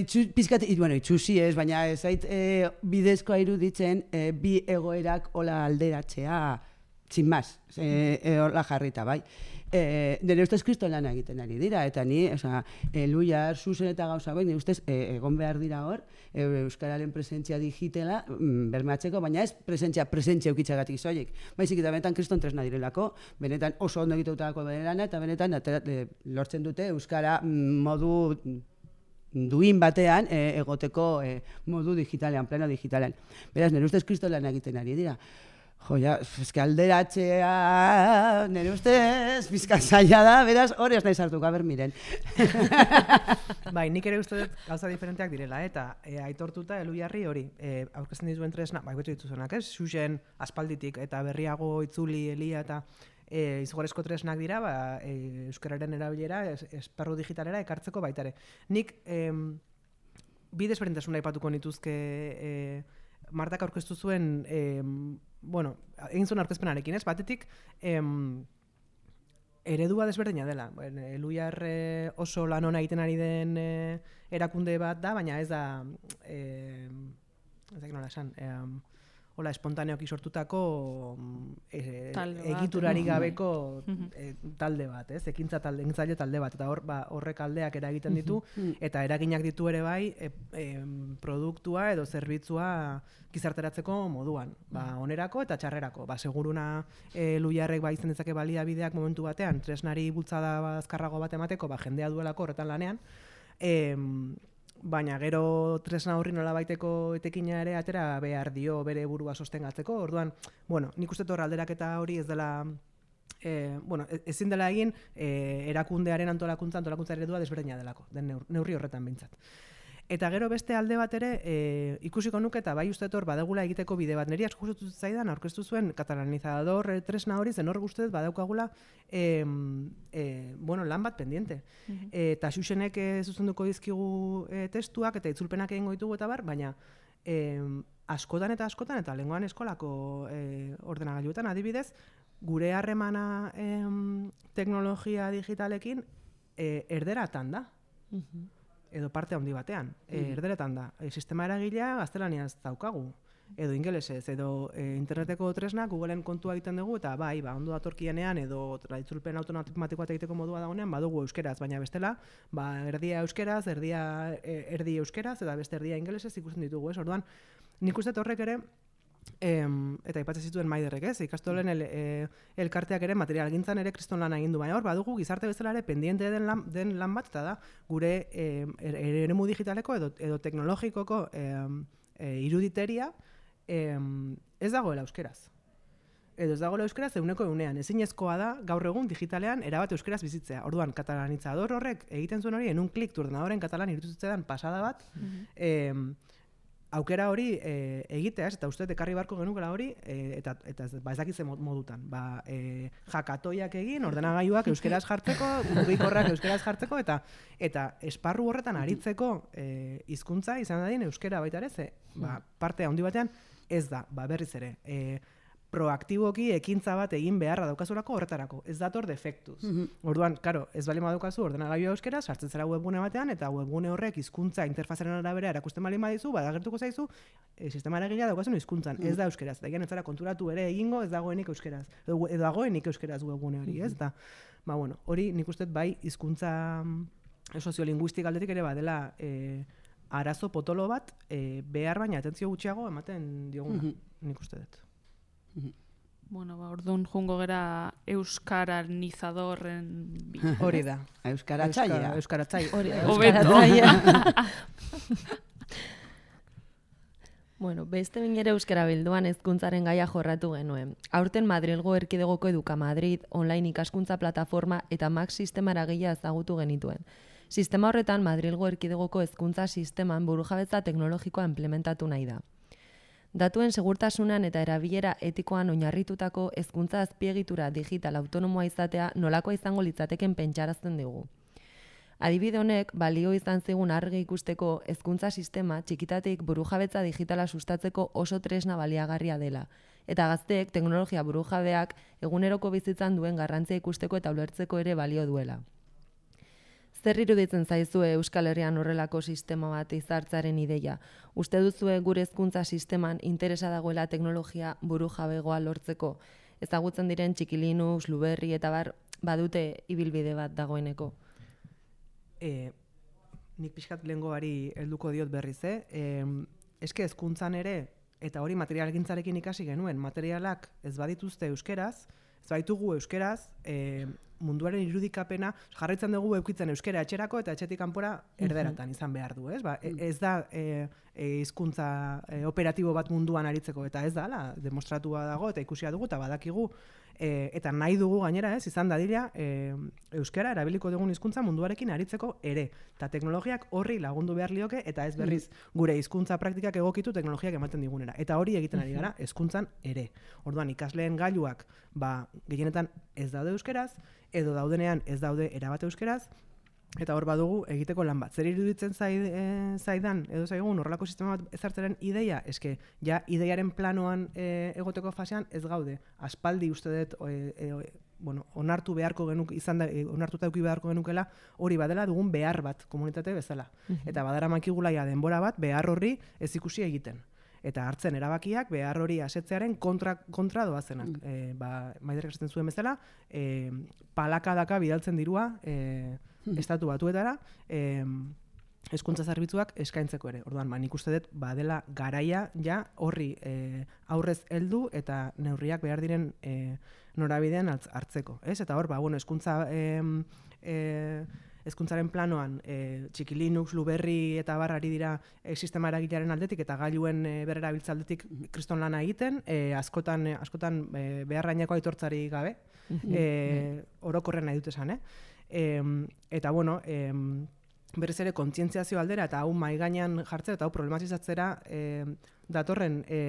itxu, pizkat, it, bueno, itxusi ez, baina ez zait e, bidezkoa iruditzen e, bi egoerak hola alderatzea, sin más, e, e, hola jarrita, bai. E, nire ustez kriston lana egiten ari dira, eta ni, oza, e, Luiar, Xuxen eta gauza bai, nire ustez e, egon behar dira hor, e, euskararen presentzia digitela mm, bermatzeko, baina ez presentzia, presentzia eukitxagatik zoiek. Baizik eta benetan kriston tresna direlako, benetan oso ondo egitutako benerana, eta benetan atera, e, lortzen dute euskara modu duin batean e, egoteko e, modu digitalean, plano digitalean. Beraz, nire ustez kriston lana egiten ari dira. Jo, ja, eske alderatzea, nire ustez, bizka zaila da, beraz, hori ez nahi sartuka, ber miren. Bai, nik ere uste dut gauza diferenteak direla, eta e, aitortuta Elujarri hori, e, aurkezten dituen tresna, bai, betu dituzunak, ez? Xuxen aspalditik, eta berriago Itzuli, Elia, eta e, izugarrizko tresnak dira, ba, e, euskararen erabilera, es, esparru digitalera ekartzeko baitare. Nik, e, bi desberdintasun aipatuko nituzke, e, Martak aurkeztu zuen, eh, bueno, egin zuen aurkezpenarekin, ez? Batetik, em, eredua desberdina dela. Elujar eh, oso lan ona egiten ari den eh, erakunde bat da, baina ez da, eh, ez da nola esan, eh, hola, espontaneoki sortutako eh, egiturarik gabeko eh, talde bat, ez? Ekintza talde, ekintzaile talde bat, eta hor, ba, horrek aldeak eragiten ditu, eta eraginak ditu ere bai e, e, produktua edo zerbitzua gizarteratzeko moduan, ba, onerako eta txarrerako. Ba, seguruna e, Luiarrek ba, izan dezake baliabideak momentu batean, tresnari bultzada azkarrago bat emateko, ba, jendea duelako horretan lanean, e, baina gero tresna horri nolabaiteko etekina ere atera behar dio bere burua sostengatzeko. Orduan, bueno, nik uste hor alderaketa hori ez dela, eh, bueno, ezin dela egin eh, erakundearen antolakuntza, antolakuntza eredua desberdina delako, den neurri horretan behintzat. Eta gero beste alde bat ere e, ikusiko nuke eta bai uste hor badagula egiteko bide bat. Neri asko gustatu zaidan aurkeztu zuen katalanizador e, tresna hori zen hor guztet badaukagula e, e, bueno, lan bat pendiente. Uh-huh. E, eta Xuxenek e, zuzenduko dizkigu e, testuak eta itzulpenak egingo ditugu eta bar, baina e, askotan eta askotan eta lengoan eskolako e, ordenagailuetan adibidez, gure harremana e, teknologia digitalekin e, erderatan da. Uh-huh. Edo parte handi batean, e, erderetan da. E, sistema eragilea gaztelaniaz daukagu, edo ingelesez, edo e, interneteko tresnak Googleen kontua egiten dugu, eta bai, ba, ondo datorkienean, edo itzulpen automatikoa egiteko modua dagoenean, badugu euskeraz, baina bestela, ba, erdia euskeraz, erdia e, erdi euskeraz, eta beste erdia ingelesez ikusten ditugu, ez? Orduan, nik uste horrek ere, Em, eta aipatzen zituen Maiderrek, ez? Ikastolen el, e, elkarteak ere materialgintzan ere kriston lan egin du, baina hor badugu gizarte bezala ere pendiente den lan, den lan bat, eta da gure e, eremu digitaleko edo, edo teknologikoko e, e, iruditeria e, ez dagoela euskeraz. Edo ez dagoela euskeraz euneko eunean. Ezinezkoa da gaur egun digitalean erabat euskeraz bizitzea. Orduan, katalanizador horrek egiten zuen hori, en un klik tu ordenadoren katalan irututzean pasada bat, mm-hmm. e, aukera hori e, egitea, eta uste ekarri barko genukela hori, e, eta, eta ba, ez dakitze modutan. Ba, e, jakatoiak egin, ordenagailuak euskeraz jartzeko, mugikorrak euskeraz jartzeko, eta eta esparru horretan aritzeko e, hizkuntza izan dadin euskera baita ere, ze ba, parte handi batean ez da, ba, berriz ere. E, proaktiboki ekintza bat egin beharra daukazulako horretarako. Ez dator defektuz. Mm-hmm. Orduan, karo, ez bali madaukazu ordenagailua euskera, sartzen zera webgune batean, eta webgune horrek hizkuntza interfazaren arabera erakusten bali madizu, badagertuko zaizu, e, sistema eragilea daukazun hizkuntzan, mm-hmm. ez da euskeraz. Eta ez zara konturatu ere egingo, ez dagoenik euskeraz. Edo, edo dagoenik euskeraz webgune hori, ez? Eta, ba, bueno, hori nik uste bai hizkuntza soziolinguistik aldetik ere badela e, arazo potolo bat, e, behar baina atentzio gutxiago ematen dioguna, mm-hmm. nik uste dut. Bueno, ba, orduan jungo gera euskaranizadorren hori da. Euskaratzailea. Euskaratzailea. Hori, euskaratzailea. Bueno, beste bin ere euskara bilduan hezkuntzaren gaia jorratu genuen. Aurten Madrilgo Erkidegoko Eduka Madrid, online ikaskuntza plataforma eta Max sistema eragilea ezagutu genituen. Sistema horretan Madrilgo Erkidegoko hezkuntza sisteman burujabetza teknologikoa implementatu nahi da. Datuen segurtasunan eta erabilera etikoan oinarritutako hezkuntza azpiegitura digital autonomoa izatea nolakoa izango litzateken pentsarazten digu. Adibide honek balio izan zigun argi ikusteko hezkuntza sistema txikitatik burujabetza digitala sustatzeko oso tresna baliagarria dela, eta gazteek teknologia burujabeak eguneroko bizitzan duen garrantzia ikusteko eta ulertzeko ere balio duela. Zer iruditzen zaizue Euskal Herrian horrelako sistema bat izartzaren ideia? Uste duzue gure hezkuntza sisteman interesa dagoela teknologia burujabegoa lortzeko? Ezagutzen diren Txiki Linux, Luberri eta bar badute ibilbide bat dagoeneko? E, nik pixkat lehengoari helduko diot berriz, eh? E, eske hezkuntzan ere, eta hori materialgintzarekin ikasi genuen, materialak ez badituzte euskeraz, ez baditugu euskeraz, e, munduaren irudikapena jarraitzen dugu eukitzen euskera etxerako eta etxetik kanpora erderatan izan behar du, ez? Ba, ez da e, e, hizkuntza e, operatibo bat munduan aritzeko, eta ez da, la, demostratua dago eta ikusia dugu eta badakigu, e, eta nahi dugu gainera, ez, izan dadila e, euskara erabiliko dugun hizkuntza munduarekin aritzeko ere, eta teknologiak horri lagundu behar lioke, eta ez berriz gure hizkuntza praktikak egokitu teknologiak ematen digunera, eta hori egiten ari gara hezkuntzan ere. Orduan ikasleen gailuak, ba, gehienetan ez daude euskeraz, edo daudenean ez daude erabat euskeraz, eta hor badugu egiteko lan bat. Zer iruditzen zaid, e, zaidan, edo zaigun horrelako sistema bat ezartzaren ideia, eske ja ideiaren planoan e, egoteko fasean ez gaude. Aspaldi uste dut e, e, bueno, onartu beharko genuk, izan da, e, onartuta eduki beharko genukela hori badela dugun behar bat komunitate bezala. Eta badara makigulaia denbora bat behar horri ez ikusi egiten. Eta hartzen erabakiak behar hori asetzearen kontra, kontra doazenak. Mm. E, ba, Maiderrek esaten zuen bezala, e, palakadaka bidaltzen dirua e, mm. estatu batuetara, e, hezkuntza zerbitzuak eskaintzeko ere. Orduan, ba, nik uste dut badela garaia ja horri e, aurrez heldu eta neurriak behar diren e, norabidean hartzeko. Ez? Eta hor, ba, bueno, hezkuntza e, e, hezkuntzaren planoan e, Txiki Linux, Luberri eta barrari dira e, sistema eragilearen aldetik eta gailuen e, berrerabiltza aldetik kriston lana egiten, e, askotan, e, askotan e, beharraineko aitortzari gabe, e, orokorren nahi dut esan, eh? E, eta bueno, e, berriz ere kontzientziazio aldera eta hau mahai gainean jartzera eta hau problematizatzera e, datorren e,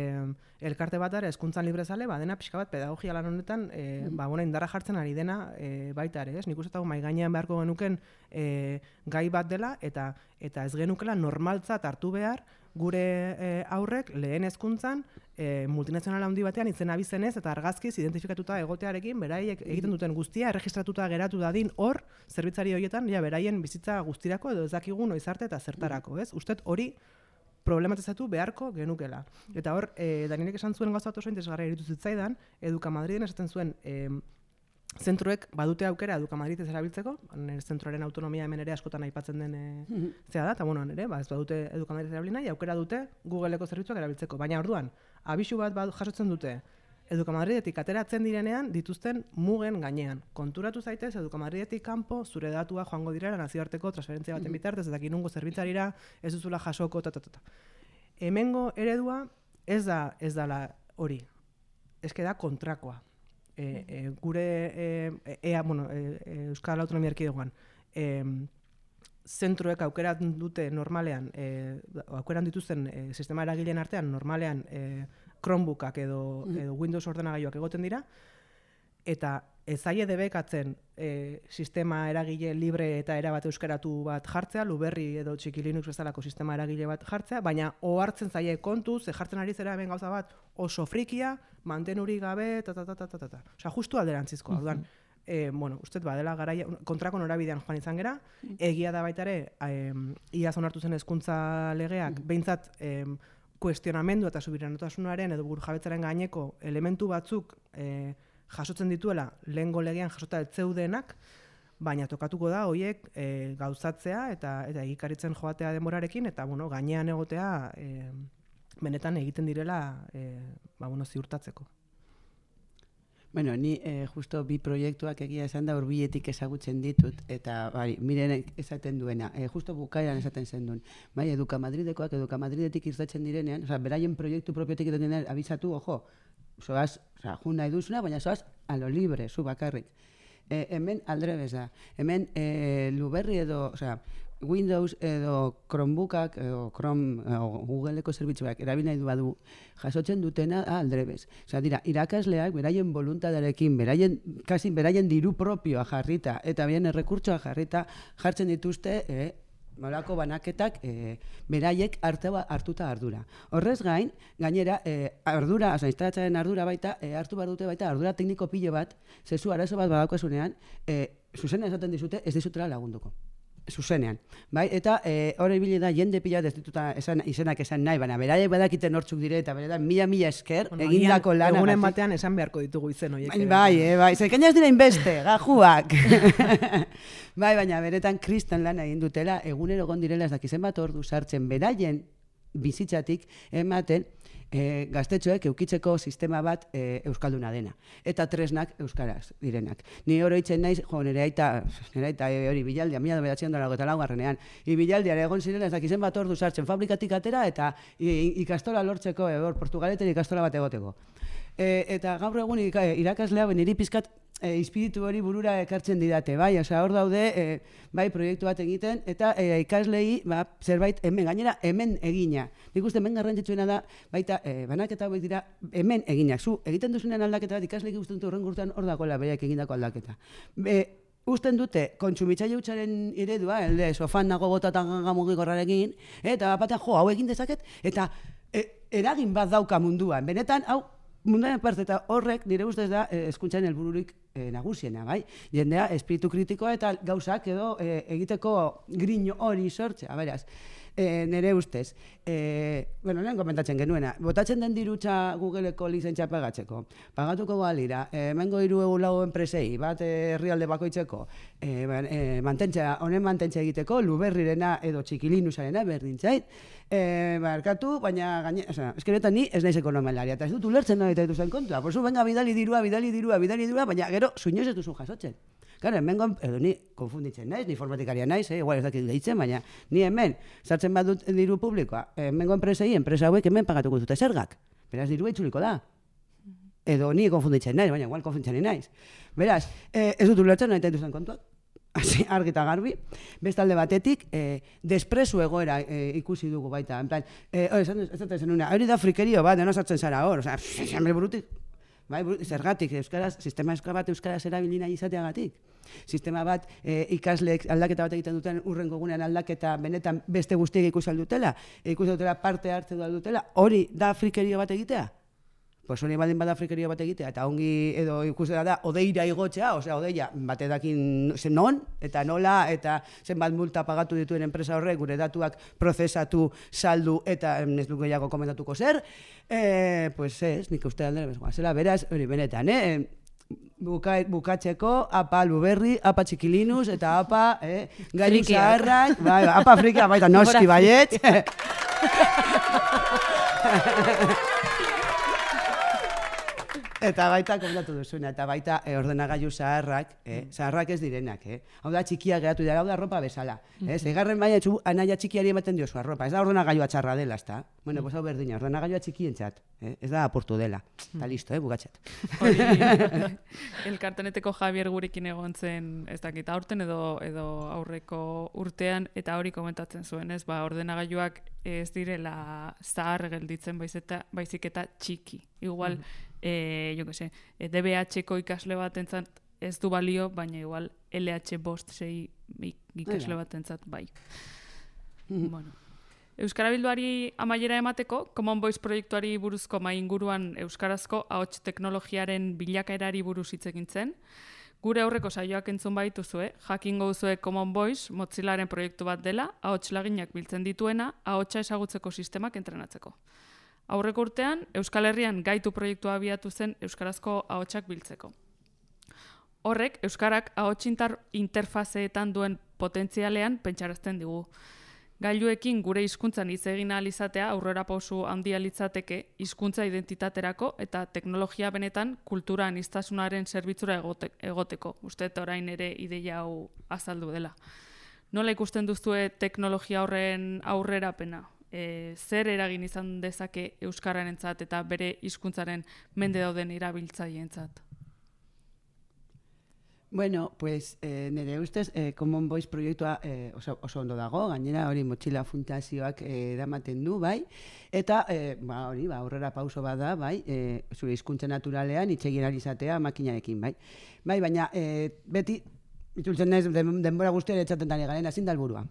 elkarte batara hezkuntzan librezale, ba, dena pixka bat pedagogia lan honetan e, ba, bona, indarra jartzen ari dena e, baita ere, ez? Nik uste hau mahai gainean beharko genuken e, gai bat dela eta eta ez genukela normaltzat hartu behar gure e, aurrek lehen hezkuntzan e, multinazional handi batean izen abizenez eta argazkiz identifikatuta egotearekin beraiek egiten duten guztia erregistratuta geratu dadin hor zerbitzari horietan ja beraien bizitza guztirako edo ez dakigu noiz arte eta zertarako, ez? Ustet hori problematizatu beharko genukela. Eta hor, e, Danielek esan zuen gauza bat oso interesgarria iruditu zitzaidan, Eduka Madriden esaten zuen e, zentroek badute aukera Eduka Madrid ez erabiltzeko, zentroaren autonomia hemen ere askotan aipatzen den e, zea da, eta bueno, ere, ba, ez badute Eduka Madrid erabil nahi, aukera dute Googleeko zerbitzuak erabiltzeko. Baina orduan, abisu bat bad, jasotzen dute, Eduka Madridetik ateratzen direnean dituzten mugen gainean. Konturatu zaitez, Eduka Madridetik kanpo zure datua joango direla nazioarteko transferentzia baten bitartez, eta inungo zerbitzarira ez duzula jasoko, ta, ta, ta, ta. Hemengo eredua ez da ez dala hori. Eske da kontrakoa. E, e, gure e, ea, bueno, e, Euskal Autonomia Erkidegoan e, zentroek aukeran dute normalean, e, aukeran dituzten e, sistema eragileen artean normalean e, Chromebookak edo, edo Windows ordenagailuak egoten dira, eta ez zaie debekatzen e, sistema eragile libre eta erabat euskaratu bat jartzea, Luberri edo Txiki Linux bezalako sistema eragile bat jartzea, baina ohartzen zaie kontuz, ze jartzen ari zera hemen gauza bat oso frikia, mantenurik gabe, ta ta ta ta ta ta. Osea, justu alderantzizkoa. Orduan, e, bueno, ustez badela garaia kontrako norabidean joan izan gera, egia da baita ere, e, iaz onartu zen hezkuntza legeak, behintzat e, kuestionamendu eta subiranotasunaren edo burujabetzaren gaineko elementu batzuk e, jasotzen dituela lehengo legean jasota ez zeudenak, baina tokatuko da horiek e, gauzatzea eta eta egikaritzen joatea denborarekin eta bueno, gainean egotea e, benetan egiten direla e, ba, bueno, ziurtatzeko. Bueno, ni eh, justo bi proiektuak egia esan da hurbiletik ezagutzen ditut, eta bari, miren esaten duena, eh, justo bukaeran esaten zen duen, bai, Eduka Madridekoak, Eduka Madridetik irtetzen direnean, oza, beraien proiektu propiotik irtetzen direnean, abizatu, ojo, zoaz, oza, jun nahi duzuna, baina zoaz, a lo libre, zu bakarrik. Eh, hemen aldrebez da, hemen eh, Luberri edo, oza, Windows edo Chromebookak edo Chrome edo Googleeko zerbitzuak erabil nahi du badu jasotzen dutena aldrebez. Osea, dira, irakasleak beraien voluntadarekin, beraien kasi beraien diru propioa jarrita eta bien errekurtsoa jarrita jartzen dituzte eh, molako banaketak eh, beraiek hartua hartuta ardura. Horrez gain, gainera eh, ardura, osea, instalatzaren ardura baita eh, hartu bar dute baita ardura tekniko pilo bat, zezu arazo bat badaukazunean, eh, zuzena esaten dizute ez dizutela lagunduko. Zuzenean, bai, eta hori e, ibili da jende pila ez dituta esan, izenak esan nahi, baina beraiek badakite nortzuk dire eta beretan mila mila esker bueno, egindako lana. Egunen batean esan beharko ditugu izen horiek. Bai, bai, e, bai, zekaina ez dira inbeste, gajuak. Bai, baina beretan kristan lana egin dutela, egunero egon direla ez dakizen bat ordu sartzen beraien bizitzatik ematen E, gaztetxoek eukitzeko sistema bat e, euskalduna dena. Eta tresnak euskaraz direnak. Ni oroitzen naiz, jo, nire aita, nire aita e, hori bilaldia, mila behatzion dara eta laugarrenean. I bilaldiare egon ziren ez dakizen bat ordu sartzen fabrikatik atera eta i, ikastola lortzeko, e, hor, Portugaleten ikastola bat egoteko. E, eta gaur egun irakaslea, niri pizkat e, espiritu hori burura ekartzen didate, bai, osea, hor daude, e, bai, proiektu bat egiten, eta e, ikaslei, ba, zerbait, hemen, gainera, hemen egina. Nik uste, hemen garrantzitsuena da, baita, e, banaketa hauek dira, hemen eginak. Zu, egiten duzunean aldaketa bat, ikasleik usten dut horren gurtan hor dagoela bereak egindako aldaketa. E, usten dute, kontsumitzaile hutsaren eredua, elde, sofan nago botatan gamugigorrarekin, eta batean, jo, hau egin dezaket, eta e, eragin bat dauka munduan. Benetan, hau, munduan parte eta horrek, nire ustez da, hezkuntzaren helbururik e, nagusiena, bai? Jendea, espiritu kritikoa eta gauzak edo e, egiteko grino hori sortzea, beraz. E, nire ustez, e, bueno, lehen komentatzen genuena, botatzen den dirutza Googleeko lizentzia pagatzeko, pagatuko balira, e, mengo hiru egu lau enpresei, bat herrialde bakoitzeko, e, e, mantentzea, honen mantentzea egiteko, Luberrirena edo Txikilinusarena berdintzait, e, barkatu, baina gaine, oza, eskeretan ni ez naiz ekonomelaria, eta ez dut ulertzen nahi eta dituzen kontua, porzu, venga, bidali dirua, bidali dirua, bidali dirua, baina gero, suinoz ez duzu jasotzen. Claro, hemen, edo ni konfunditzen naiz, ni informatikaria naiz, eh? Igual ez dakit deitzen, baina ni hemen, sartzen bat dut diru publikoa, hemengo enpresei, enpresa hauek hemen pagatuko dute zergak. Beraz, dirua itzuliko da. Edo ni konfunditzen naiz, baina igual konfunditzen naiz. Beraz, eh, ez dut ulertzen nahi duzen kontuak. Hasi, argi eta garbi. Bestalde batetik, eh, despresu egoera eh, ikusi dugu baita. En plan, eh, hori, ez dut zen una, hori da frikerio bat, deno sartzen zara hor, oza, hambre burutik. Bai, zergatik, euskaraz, sistema euskara bat euskaraz erabili nahi izateagatik. Sistema bat e, ikasleek aldaketa bat egiten duten urrengo egunean aldaketa benetan beste guztiek ikusi aldutela, ikusi dutela parte hartze du aldutela, hori da frikerio bat egitea? Pues hori baldin bada frikerio bat egitea, eta ongi edo ikustea da, odeira igotzea, osea, odeia bate dakin zen non, eta nola, eta zenbat multa pagatu dituen enpresa horrek, gure datuak prozesatu, saldu, eta ez du gehiago komentatuko zer, e, pues ez, nik uste aldera bezgoa. Zela, beraz, hori benetan, eh? Buka, bukatzeko, apa Luberri, apa Txikilinus, eta apa eh, gailu zaharrak, bai, apa frikia, baita noski baiet. Eta baita komentatu duzuna, eta baita e, ordenagailu zaharrak, eh, zaharrak ez direnak, eh. Hau da txikia geratu dira, hau da arropa bezala. Eh, Zeigarren baina etxu, anaia txikiari ematen diozu arropa, ez da ordenagailua txarra dela, ezta? Bueno, pues hau berdina, ordenagailua txikientzat, eh, ez da apurtu dela. Eta listo, eh, bukatzat. Elkarteneteko Javier gurekin egon zen, ez dakit, aurten edo, edo aurreko urtean, eta hori komentatzen zuen, ez, ba, ordenagailuak ez direla zahar gelditzen baizik eta txiki. Igual, mm. E, jo que se, e, D B H-ko ikasle batentzat ez du balio, baina igual L H bost sei ikasle batentzat bai. Mm-hmm. Bueno. Euskara Bilduari amaiera emateko, Common Voice proiektuari buruzko mai inguruan euskarazko ahots teknologiaren bilakaerari buruz hitz egin zen. Gure aurreko saioak entzun baituzue, jakingo duzue Common Voice Mozillaren proiektu bat dela, ahots laginak biltzen dituena, ahotsa ezagutzeko sistemak entrenatzeko. Aurreko urtean, Euskal Herrian gaitu proiektua abiatu zen euskarazko ahotsak biltzeko. Horrek, euskarak ahots interfazeetan duen potentzialean pentsarazten digu. Gailuekin gure hizkuntzan hitz egin ahal izatea aurrera pausu handia litzateke hizkuntza identitaterako eta teknologia benetan kultura aniztasunaren zerbitzura egote, egoteko. Uste orain ere ideia hau azaldu dela. Nola ikusten duzue teknologia horren aurrerapena? E, zer eragin izan dezake euskararentzat eta bere hizkuntzaren mende dauden erabiltzaileentzat? Bueno, pues eh, nire ustez eh, Common Voice proiektua eh, oso, oso ondo dago, gainera hori Motxila Fundazioak eh, eramaten du, bai, eta eh, ba, hori ba, aurrera pauso bada, bai, eh, zure hizkuntza naturalean hitz egin ahal izatea makinarekin, bai. Bai, baina eh, beti, itzultzen ez denbora guztian etxaten dani garen, ezin da helburua.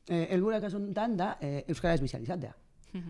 Eh, helburua kasuntan da eh, euskara esbizializatea.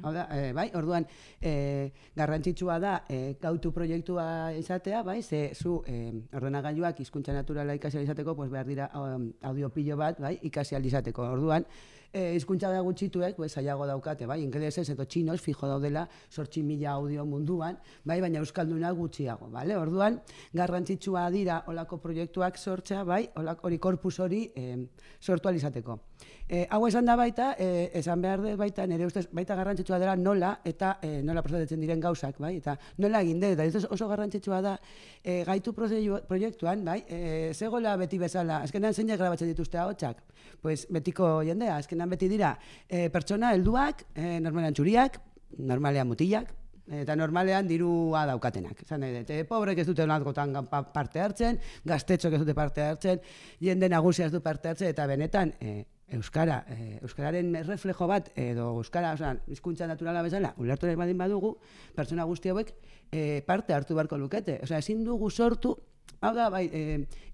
Hau da, e, bai, orduan e, garrantzitsua da e, gautu proiektua izatea, bai, ze zu e, ordenagailuak hizkuntza naturala ikasi izateko, pues behar dira um, audio pilo bat, bai, ikasi izateko. Orduan, e, hizkuntza da gutxituek, pues saiago daukate, bai, ingelesez edo txinos fijo daudela zortzi mila audio munduan, bai, baina euskalduna gutxiago, bale? Orduan, garrantzitsua dira olako proiektuak sortzea, bai, olako hori korpus hori e, sortu izateko. E, hau esan da baita, e, esan behar dut baita, nire ustez, baita garrantzitsua dela nola eta e, nola prestatzen diren gauzak, bai, eta nola egin dut, eta oso garrantzitsua da e, gaitu proiektuan, bai, e, zegoela beti bezala, azkenan zeinak grabatzen dituzte ahotsak, pues betiko jendea, azkenan beti dira, e, pertsona helduak, e, normalean txuriak, normalean mutilak, eta normalean dirua daukatenak. Zan nahi dut, pobrek ez dute onatkotan parte hartzen, gaztetxok ez dute parte hartzen, jende nagusia ez du parte hartzen, eta benetan, e, Euskara, eh, Euskararen reflejo bat, edo Euskara, oza, hizkuntza naturala bezala, ulertu nahi badin badugu, pertsona guzti hauek eh, parte hartu beharko lukete. Oza, ezin dugu sortu, hau da, bai, e,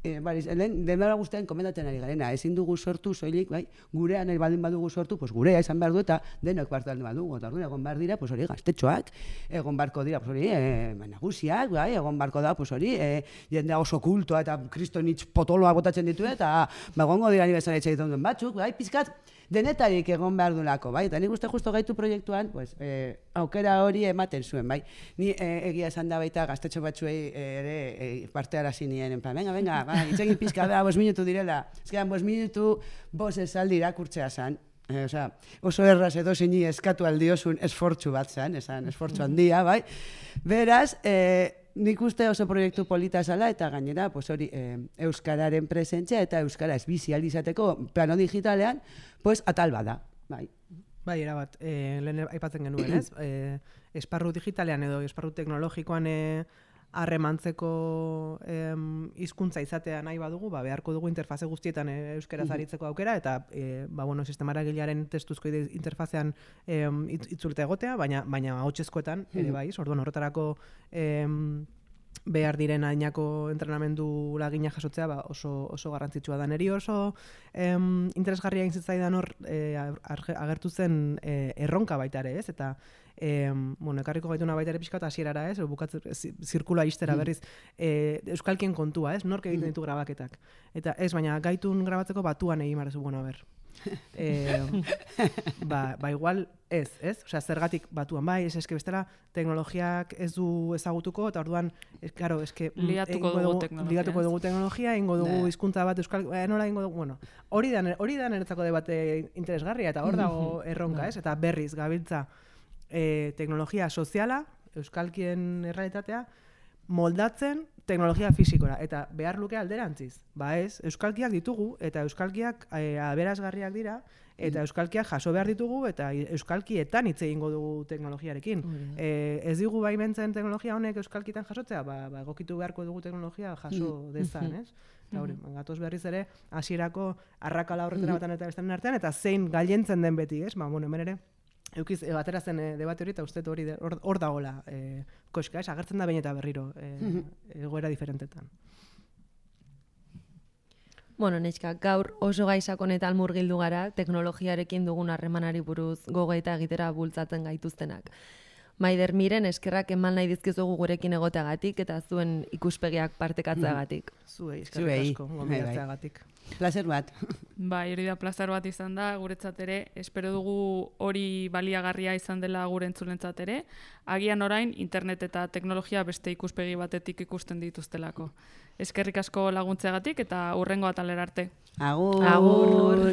e, bai, denbora guztian komentatzen ari garena, ezin dugu sortu, soilik, bai, gurean nahi badin badugu sortu, pues gurea izan behar du eta denok parte hartu badugu, eta orduan egon behar dira, pues hori gaztetxoak, egon barko dira, pues hori, e, nagusiak, bai, egon barko da, pues hori, e, jendea oso kultoa eta kristonitz potoloa botatzen ditu, eta bagongo dira ni bezala etxe dituen batzuk, bai, pizkat, denetarik egon behar dulako, bai, eta nik uste justo gaitu proiektuan, pues, e, aukera hori ematen zuen, bai. Ni e, egia esan da baita gaztetxo batzuei ere e, parte arazi nien, en plan, venga, venga, bai, itzegin pizka da, bos minutu direla, ezkeran, bos minutu, bos esaldi irakurtzea zan, e, oza, oso erraz edo zini eskatu aldiosun esfortzu bat zan, esan, esfortzu handia, bai. Beraz, e, nik uste oso proiektu polita zala eta gainera pues hori e, euskararen presentzia eta euskara esbizializateko plano digitalean pues atal bada, bai. Bai, erabat, e, lehen aipatzen genuen, ez? E, esparru digitalean edo esparru teknologikoan e, harremantzeko hizkuntza izatea nahi badugu, ba, beharko dugu interfaze guztietan e, euskaraz aritzeko aukera eta e, ba, bueno, sistema eragilearen testuzko interfazean e, itzulta egotea, baina baina ahotsezkoetan ere bai, orduan horretarako e, behar diren adinako entrenamendu lagina jasotzea ba, oso, oso garrantzitsua da. Neri oso em, interesgarria egin zitzaidan hor e, agertu zen e, erronka baita ere, ez? Eta em, bueno, ekarriko gaituna baita ere pixka eta hasierara, ez? Bukatzen zirkula ixtera berriz e, euskalkien kontua, ez? Nork egiten ditu grabaketak. Eta ez, baina gaitun grabatzeko batuan egin marezu, bueno, a ber. eh, ba, ba igual ez, ez? Osea, zergatik batuan bai, ez eske bestela teknologiak ez du ezagutuko eta orduan, es claro, eske liatuko dugu teknologia. Liatuko dugu teknologia, eingo dugu hizkuntza bat euskal, eh, nola eingo dugu, bueno, hori da hori da niretzako debate interesgarria eta hor dago erronka, ez? Eta berriz gabiltza eh, teknologia soziala, euskalkien errealitatea moldatzen teknologia fisikora, eta behar luke alderantziz. Ba ez, euskalkiak ditugu, eta euskalkiak e, aberasgarriak dira, eta euskalkiak jaso behar ditugu, eta euskalkietan hitz egingo dugu teknologiarekin. Mm. E, ez digu baimentzen teknologia honek euskalkitan jasotzea, ba, ba egokitu beharko dugu teknologia jaso dezan, ez? Eta hori, gatoz berriz ere, hasierako arrakala horretara batan eta bestean artean, eta zein gailentzen den beti, ez? Ba, bueno, hemen ere, eukiz, e, batera zen e, debate hori, eta uste hori hor, hor dagoela e, koska, ez? Agertzen da behin eta berriro e, egoera diferentetan. Bueno, neska, gaur oso gaizak honetan murgildu gara, teknologiarekin dugun harremanari buruz gogoeta egitera bultzatzen gaituztenak. Maider, miren eskerrak eman nahi dizkizugu gurekin egoteagatik eta zuen ikuspegiak partekatzeagatik. Zuei, eskerrak asko, gomendatzeagatik. Plazer bat. Bai, hori da plazer bat izan da, guretzat ere, espero dugu hori baliagarria izan dela gure entzulentzat ere, agian orain internet eta teknologia beste ikuspegi batetik ikusten dituztelako. Eskerrik asko laguntzeagatik eta hurrengo atalera arte. Agur! Agur!